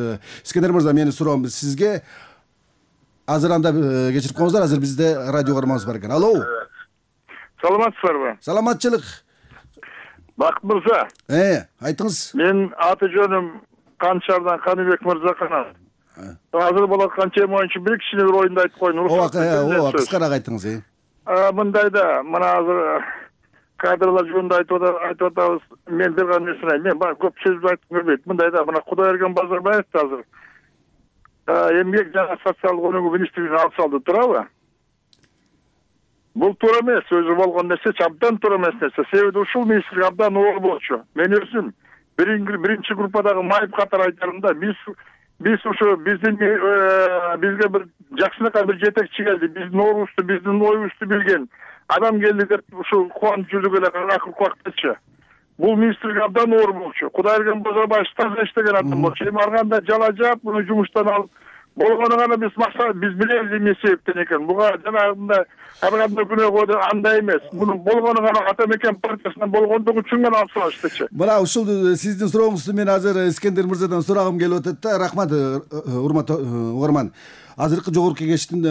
Искендер мырза, менин суроом сизге. Азыр анда кечирип коюңуздар, азыр бизде радио кармабыз бар экен. Алло. Саламатсыздарбы? Саламатчылык. Бакыт мырза. Э, айтыңыз. Мен аты жөнүм Канчардан Каныбек Мырзаканов. Азыр болот аткан тема боюнча бир кичине бир оюнду айтып коеюн. Ооба, кыскараак айтыңыз. Э. Мындайда, мына азыр кадрлар жөнүндө айтып атабыз. Мен бир гана нерсени айтайын. Мен көп сөз айтып көрбөйт. Мындайда, мына Кудайберген Базарбаев азыр эмгек жана социалдык өнүгүү министрлигине алып салды, туурабы? Бул туура эмес, өзү болгон нерсе, абдан туура эмес нерсе. Себеби ушул министрлик абдан оор болчу. Мен өзүм биринчи группадагы майып катары айтарым да, биз биз ушу биздин бизге бир жакшынакай бир жетекчи келди, биздин оорубузду, биздин оюбузду билген адам келди деп ушул кубанып жүрдүк эле акыркы убактачы. Бул министрлик абдан оор болчу. Кудайберген Базарбаев таза иштеген адам болчу. Эми арганда жала жаап, муну жумуштан алып болгону гана биз максат, биз билебиз эмне себептен экен. Буга жанагындай арганда күнөөгө андай эмес. Муну болгону гана ата мекен партиясынан болгондугу үчүн гана алып салыштычы. Мына ушул сиздин сурооңузду мен азыр Искендер мырзадан сурагым келип атат да. Рахмат, урматтуу угарман. Азыркы жогорку кеңештин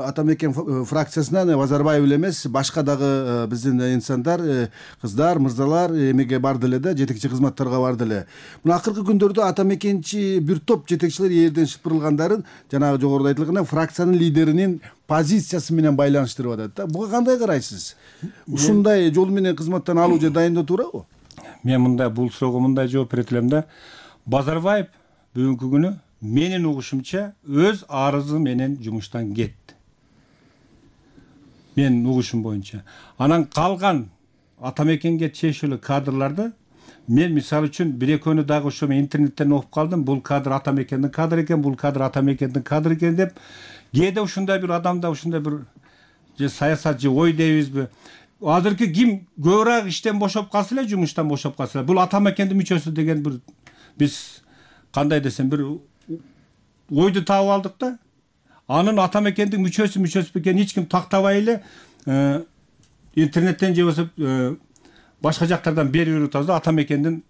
ата мекен фракциясынан Базарбаев эле эмес, башка дагы биздин инсандар, кыздар, мырзалар эмеге барды эле да, жетекчи кызматтарга барды эле. Мына акыркы күндөрдө ата мекенчи бир топ жетекчилер элден шыпырылгандарын жанагы жогоруда айтылгандай фракциянын лидеринин позициясы менен байланыштырып атат да. Буга кандай карайсыз? Ушундай жол менен кызматтан алуу же дайындоо туурабы? Мен мындай бул суроого мындай жооп берет элем да. Базарбаев бүгүнкү күнү менин угушумча өз арызы менен жумуштан кетти. Менин угушум боюнча. Анан калган ата мекенге чейшелүү кадрларды мен мисалы үчүн бир экөөнү дагы ошо мен интернеттен окуп калдым. Бул кадр ата мекендин кадры экен, бул кадр ата мекендин кадры экен деп. Кээде ушундай бир адамда ушундай бир же саясат же ой дейбизби? Азыркы ким көбүрөөк иштен бошоп калса эле, жумуштан бошоп калса эле, бул ата мекендин мүчөсү деген бир биз кандай десем бир ойду таап алдык да. Анын ата мекендин мүчөсү мүчөсү экенин эч ким тактабай эле интернеттен же болбосо башка жактардан берип атабыз да, ата мекендин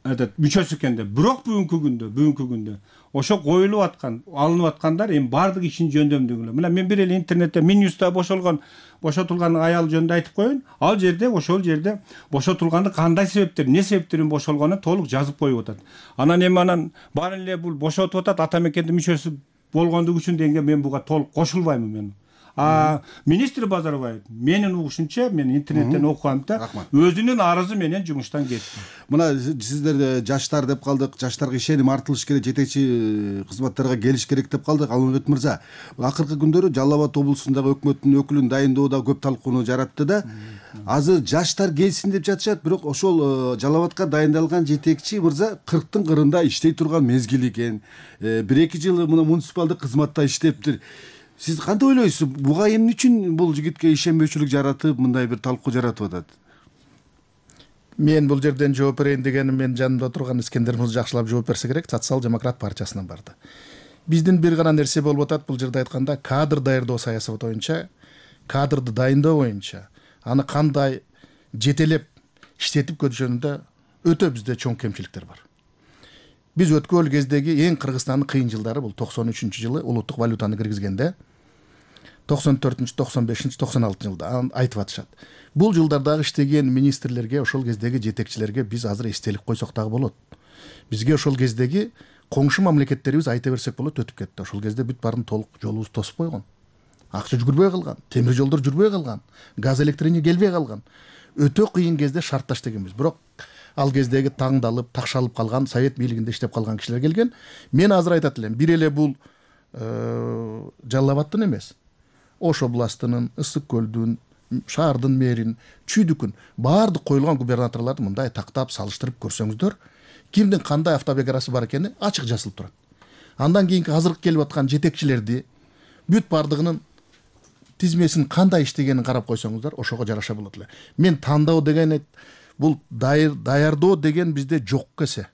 этот мүчөсү экен деп. Бирок бүгүнкү күндө, бүгүнкү күндө ошо коюлуп аткан, алынып аткандар эми баардык ишин жөндөмдүгүнө. Мына мен бир эле интернетте Минюста бошолгон, бошотулган аял жөнүндө айтып коеюн. Ал жерде, ошол жерде бошотулганды кандай себептер, эмне себептерден бошолгонун толук жазып коюп атат. Анан эми анан баары эле бул бошотуп атат, ата мекендин мүчөсү болгондугу үчүн дегенге мен буга толук кошулбаймын мен. А министр Базарбаев менин угушумча, мен интернеттен окугамда өзүнүн арызы менен жумуштан кетти. Мына сиздер жаштар деп калдык, жаштарга ишеним артылыш керек, жетекчи кызматтарга келиш керек деп калдык. Алмамбет мырза, акыркы күндөрү Жалал Абад облусундагы өкмөттүн өкүлүн дайындоодо көп талкууну жаратты да. Азыр жаштар келсин деп жатышат, бирок ошол Жалал Абадка дайындалган жетекчи мырза кырктын кырында иштей турган мезгил экен. бир эки жыл мына муниципалдык кызматта иштептир. Сиз кандай ойлойсуз? Буга эмне үчүн бул жигитке ишенбөөчүлүк жаратып, мындай бир талкуу жаратып атат? Мен бул жерден жооп берейин дегеним, мен жанымда отурган Искендер мырза жакшылап жооп берсе керек, Социал-демократ партиясынан барды. Биздин бир гана нерсе болуп атат бул жерде айтканда, кадр даярдоо саясаты боюнча, кадрды дайындоо боюнча, аны кандай жетелеп иштетип көтүрүшүндө өтө бизде чоң кемчиликтер бар. Биз өткөн кездеги эң Кыргызстандын кыйын жылдары бул токсон үчүнчү жылы улуттук валютаны киргизгенде, токсон төртүнчү, токсон бешинчи, токсон алтынчы жылда айтып атышат. Бул жылдардагы иштеген министрлерге, ошол кездеги жетекчилерге биз азыр эстелик койсок дагы болот. Бизге ошол кездеги коңшу мамлекеттерибиз айта берсек болот өтүп кетти. Ошол кезде бүт баарын толук жолубуз тосуп койгон. Акча жүгүрбөй калган, темир жолдор жүрбөй калган, газ электрине келбей калган. Өтө кыйын кезде шартташ дегенбиз. Бирок ал кездеги таңдалып, такшалып калган, совет бийлигинде иштеп калган кишилер келген. Мен азыр айтат элем, бир эле бул Жалал Абадтын эмес, Ош областынын, Ысык көлдүн, шаардын мэрин, Чүйдүкүн баардык коюлган губернаторлорду мындай тактап салыштырып көрсөңүздөр, кимдин кандай автобиографиясы бар экени ачык жазылып турат. Андан кийинки азыркы келип аткан жетекчилерди бүт баардыгынын тизмесин кандай иштегенин карап койсоңуздар, ошого жараша болот эле. Мен тандоо деген бул даярдоо деген бизде жок кесе.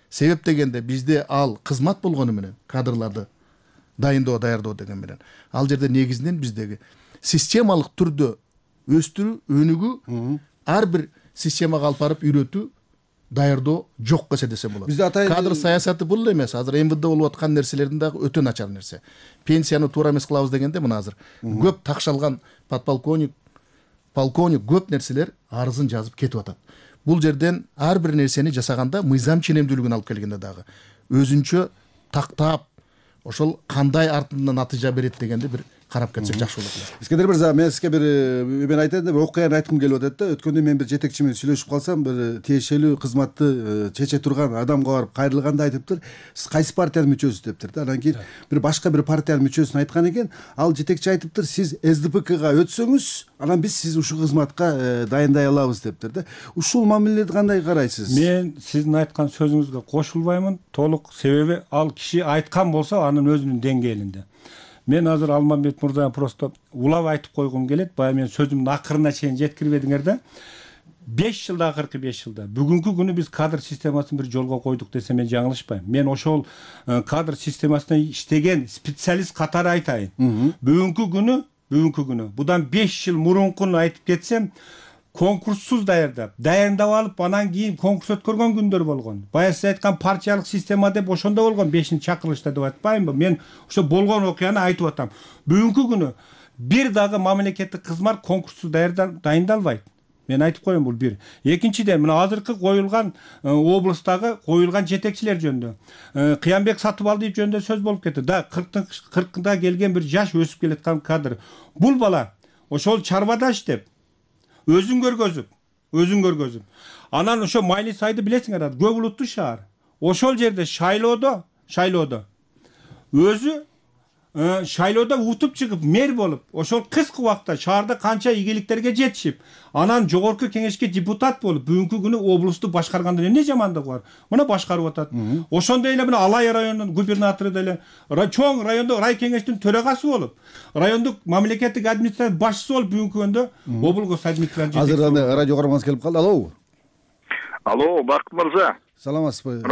Себеп дегенде бизде ал кызмат болгону менен, кадрларды дайындоо, даярдоо деген менен. Ал жерде негизинен биздеги системалык түрдө өстүрүү, өнүгүү, ар бир системага алып барып үйрөтүү, даярдоо жок кесе десем болот. Кадр саясаты бул эле эмес. Азыр эм вэ дэ болуп аткан нерселердин дагы өтө начар нерсе. Пенсияны туура эмес кылабыз дегенде мына азыр көп такшалган подполковник, полковник көп нерселер арызын жазып кетип атат. Бул жерден ар бир нерсени жасаганда мыйзам ченемдүүлүгүн алып келгенде дагы өзүнчө тактап, ошол кандай артынан натыйжа берет дегенди бир карап кетсек жакшы болот эле. Искендер мырза, мен сизге бир мен айтайын деп окуяны айткым келип атат да. Өткөндө мен бир жетекчи менен сүйлөшүп калсам, бир тиешелүү кызматты чече турган адамга барып кайрылганда айтыптыр, сиз кайсы партиянын мүчөсүсүз дептир да. Анан кийин бир башка бир партиянын мүчөсүн айткан экен, ал жетекчи айтыптыр, сиз эс дэ пэ ка өтсөңүз, анан биз сизди ушул кызматка дайындай алабыз дептир да. Ушул мамиледи кандай карайсыз? Мен сиздин айткан сөзүңүзгө кошулбаймын толук, себеби ал киши айткан болсо анын өзүнүн деңгээлинде. Мен азыр Алмамбет мырзага просто улап айтып койгум келет. Баягы мен сөзүмдүн акырына чейин жеткирбедиңер да. беш жылда, акыркы беш жылда бүгүнкү күнү биз кадр системасын бир жолго койдук десем мен жаңылышпайм. Мен ошол кадр системасында иштеген специалист катары айтайын. Бүгүнкү күнү, бүгүнкү күнү будан беш жыл мурункуну айтып кетсем, конкурссуз даярдап, дайындап алып, анан кийин конкурс өткөргөн күндөр болгон. Баягы сиз айткан партиялык система деп ошондо болгон, бешинчи чакырылышта деп айтпаймынбы? Мен ошо болгон окуяны айтып атам. Бүгүнкү күнү бир дагы мамлекеттик кызмат конкурссуз дайындалбайт. Мен айтып коеюн, бул бир. Экинчиден, мына азыркы коюлган облустагы коюлган жетекчилер жөнүндө, Кыянбек Сатыбалдиев жөнүндө сөз болуп кетти. Да, кыркында келген бир жаш өсүп келаткан кадр. Бул бала ошол чарбада иштеп, өзүн көргөзүп, өзүн көргөзүп. Анан ошо Майли Сайды билесиңер, көп улуттуу шаар. ошол жерде шайлоодо шайлоодо өзү шайлоодо утуп чыгып мэр болуп ошол кыска убакытта шаарда канча ийгиликтерге жетишип анан жогорку кеңешке депутат болуп бүгүнкү күнү облусту башкарганда эмне жамандыгы бар? Мына башкарып атат. Ошондой эле мына Алай районунун губернатору деле чоң райондо рай кеңештин төрагасы болуп райондук мамлекеттик администрация башчысы болуп бүгүнкү күндө облгос администрация азыр аны радио каарманыбыз келип калды. Алло. Алло, Бакыт мырза. Саламатсызбы?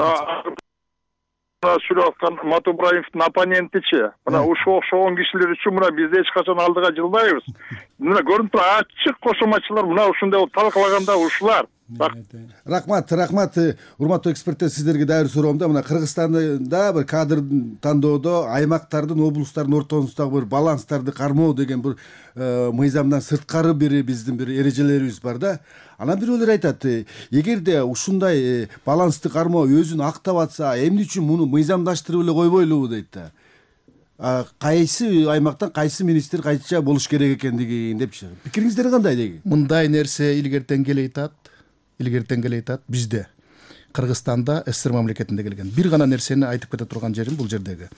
Сүйлөп аткан Матубраевдин оппонентичи мына ушул окшогон кишилер үчүн мына биз эч качан алдыга жылбайбыз. Мына көрүнүп турат ачык кошоматчылар мына ушундай болуп талкалаганда ушулар. Рахмат, рахмат. Урматтуу эксперттер, сиздерге дагы бир суроом да. Мына Кыргызстанда бир кадр тандоодо аймактардын, облустардын ортосундагы бир баланстарды кармоо деген бир мыйзамдан сырткары бир биздин бир эрежелерибиз бар да. Анан бирөөлөр айтат, эгерде ушундай балансты кармоо өзүн актап атса, эмне үчүн муну мыйзамдаштырып эле койбойлубу дейт да. Кайсы аймактан кайсы министр кайча болуш керек экендигин депчи. Пикириңиздер кандай деги? Мындай нерсе илгертен келе айтат. Илгертен келе айтат бизде Кыргызстанда СССР мамлекетинде келген. Бир гана нерсени айтып кете турган жерим бул жердеги.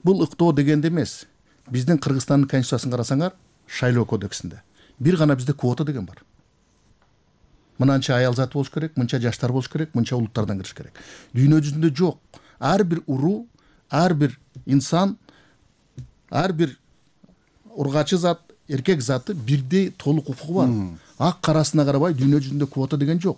Бул ыктоо дегенде эмес. Биздин Кыргызстандын конституциясын карасаңар, шайлоо кодексинде бир гана бизде квота деген бар. Мынанча аял заты болуш керек, мынча жаштар болуш керек, мынча улуттардан кириш керек. Дүйнө жүзүндө жок. Ар бир уруу, ар бир инсан, ар бир ургачы зат, эркек заты бирдей толук укугу бар. Ак карасына карабай дүйнө жүзүндө квота деген жок.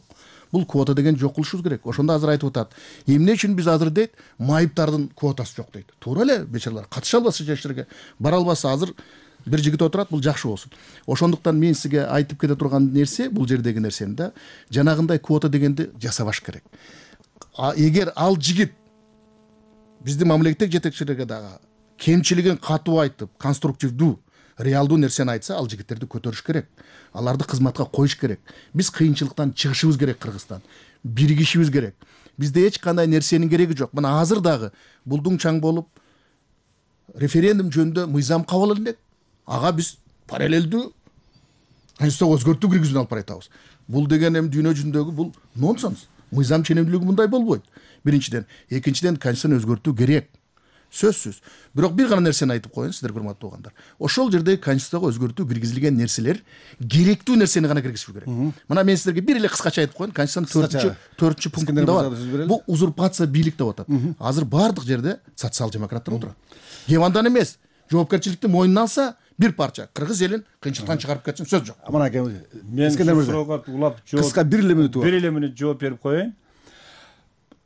Бул квота деген жок кылышыбыз керек. Ошондо азыр айтып атат. Эмне үчүн биз азыр дейт, майыптардын квотасы жок дейт. Туура эле, бечаралар катыша албаса жашырга, бара албаса азыр бир жигит отурат, бул жакшы болсун. Ошондуктан мен сизге айтып кете турган нерсе, бул жердеги нерсени да, жанагындай квота дегенди жасабаш керек. Эгер ал жигит биздин мамлекеттик жетекчилерге дагы кемчилигин катуу айтып, конструктивдүү, реалдуу нерсени айтса, ал жигиттерди көтөрүш керек. Аларды кызматка коюш керек. Биз кыйынчылыктан чыгышыбыз керек Кыргызстан. Биригишибиз керек. Бизде эч кандай нерсенин кереги жок. Мына азыр дагы булдуң чаң болуп референдум жөнүндө мыйзам кабыл алынат. Ага биз параллелдүү конституцияга өзгөртүү киргизүүнү алып баратабыз. Бул деген эми дүйнө жүзүндөгү бул нонсенс. Мыйзам ченемдүүлүгү мындай болбойт. Биринчиден, экинчиден конституцияны өзгөртүү керек. Сөзсүз. Бирок бир гана нерсени айтып коеюн сиздер, урматтуу угандар. Ошол жерде конституцияга өзгөртүү киргизилген нерселер керектүү нерсени гана киргизиш керек. Мына мен сиздерге бир эле кыскача айтып коеюн. Конституциянын төртүнчү пунктунда бар. Бул узурпация бийлик деп атат. Азыр бардык жерде социал демократтар отурат. Кем андан эмес, жоопкерчиликти мойнуна алса, бир парча кыргыз элин кыйынчылыктан чыгарып кетсин, сөз жок. Мына мен суроого улап жооп кыска бир эле мүнөт бар. Бир эле мүнөт жооп берип коеюн.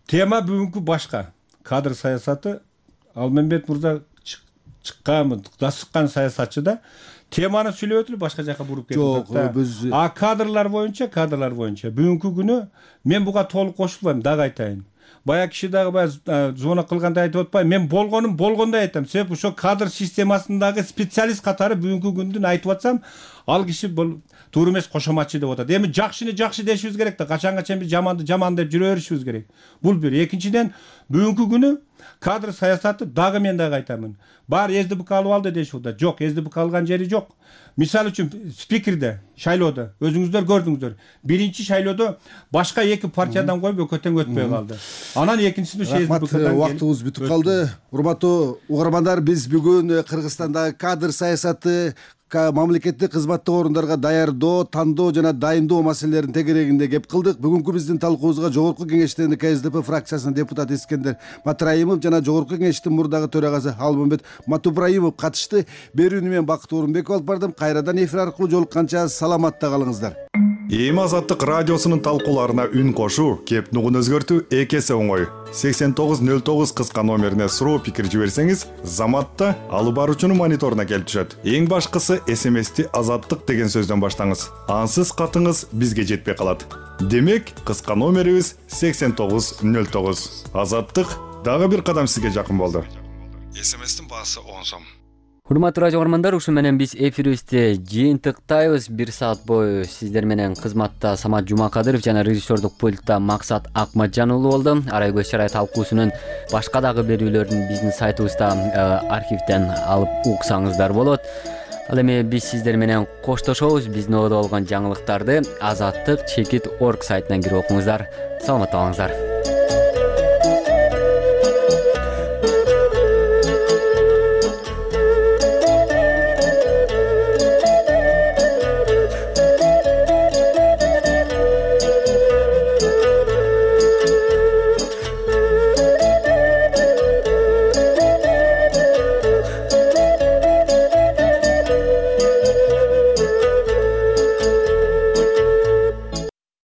Тема бүгүнкү башка. Кадр саясаты. Алмамбет мырза чыккан, дасыккан саясатчы да теманы сүйлөп өтүп башка жака буруп кетип атат. А кадрлар боюнча, кадрлар боюнча бүгүнкү күнү мен буга толук кошулбайм, дагы айтайын. Бая киши дагы баягы звонок кылганда айтып атпайбы, мен болгонум болгондой айтам. Себеби ошо кадр системасындагы специалист катары бүгүнкү күндүн айтып атсам, ал киши бул туура эмес кошоматчы деп атат. Эми жакшыны жакшы дешибиз керек да, качанга биз жаманды жаман деп жүрө беришибиз керек. Бул бир. Экинчиден, бүгүнкү күнү кадр саясаты дагы мен дагы айтамын. Бар СДБК алып алды дешип атат. Жок, СДБК алган жери жок. Мисалы үчүн спикерде, шайлоодо өзүңүздөр көрдүңүздөр. Биринчи шайлоодо башка эки партиядан коюп өкөтөн өтпөй калды. Анан экинчисинде СДБКдан убактыбыз бүтүп калды. Урматтуу угармандар, биз бүгүн Кыргызстандагы кадр саясаты, мамлекеттик кызматтык орундарга даярдоо, тандоо жана дайындоо маселелерин тегерегинде кеп кылдык. Бүгүнкү биздин талкуубузга Жогорку Кеңештин КСДП фракциясынын депутаты Искендер Матраимов жана Жогорку Кеңештин мурдагы төрагасы Алмамбет Матубраимов катышты. Берүүнү мен Бакыт Орунбеков алып бардым. Кайрадан эфир аркылуу жолукканча саламатта калыңыздар. Эми Азаттык радиосунун талкууларына үн кошуу, кеп нугун өзгөртүү эки эсе оңой. сексен тогуз нөл тогуз кыска номерине суроо пикир жиберсеңиз, Заматта алып баруучунун мониторуна келип түшөт. Эң башкысы эс эм эсти Азаттык деген сөздөн баштаңыз. Ансыз катыңыз бизге жетпей калат. Демек, кыска номерибиз сексен тогуз нөл тогуз. Азаттык дагы бир кадам сизге жакын болду. эс эм эстин баасы он сом. Урматтуу радио угармандар, ушу менен биз эфирибизди жыйынтыктайбыз. Бир саат бою сиздер менен кызматта Самат Жумакадыров жана режиссердук пультта Максат Акматжан уулу болду. Арай көз чарай талкуусунун башка дагы берүүлөрүн биздин сайтыбызда архивден алып уксаңыздар болот. Ал эми биз сиздер менен коштошобуз. Биздин оодо болгон жаңылыктарды азаттык чекит орг сайтынан кирип окуңуздар. Саламатта калыңыздар.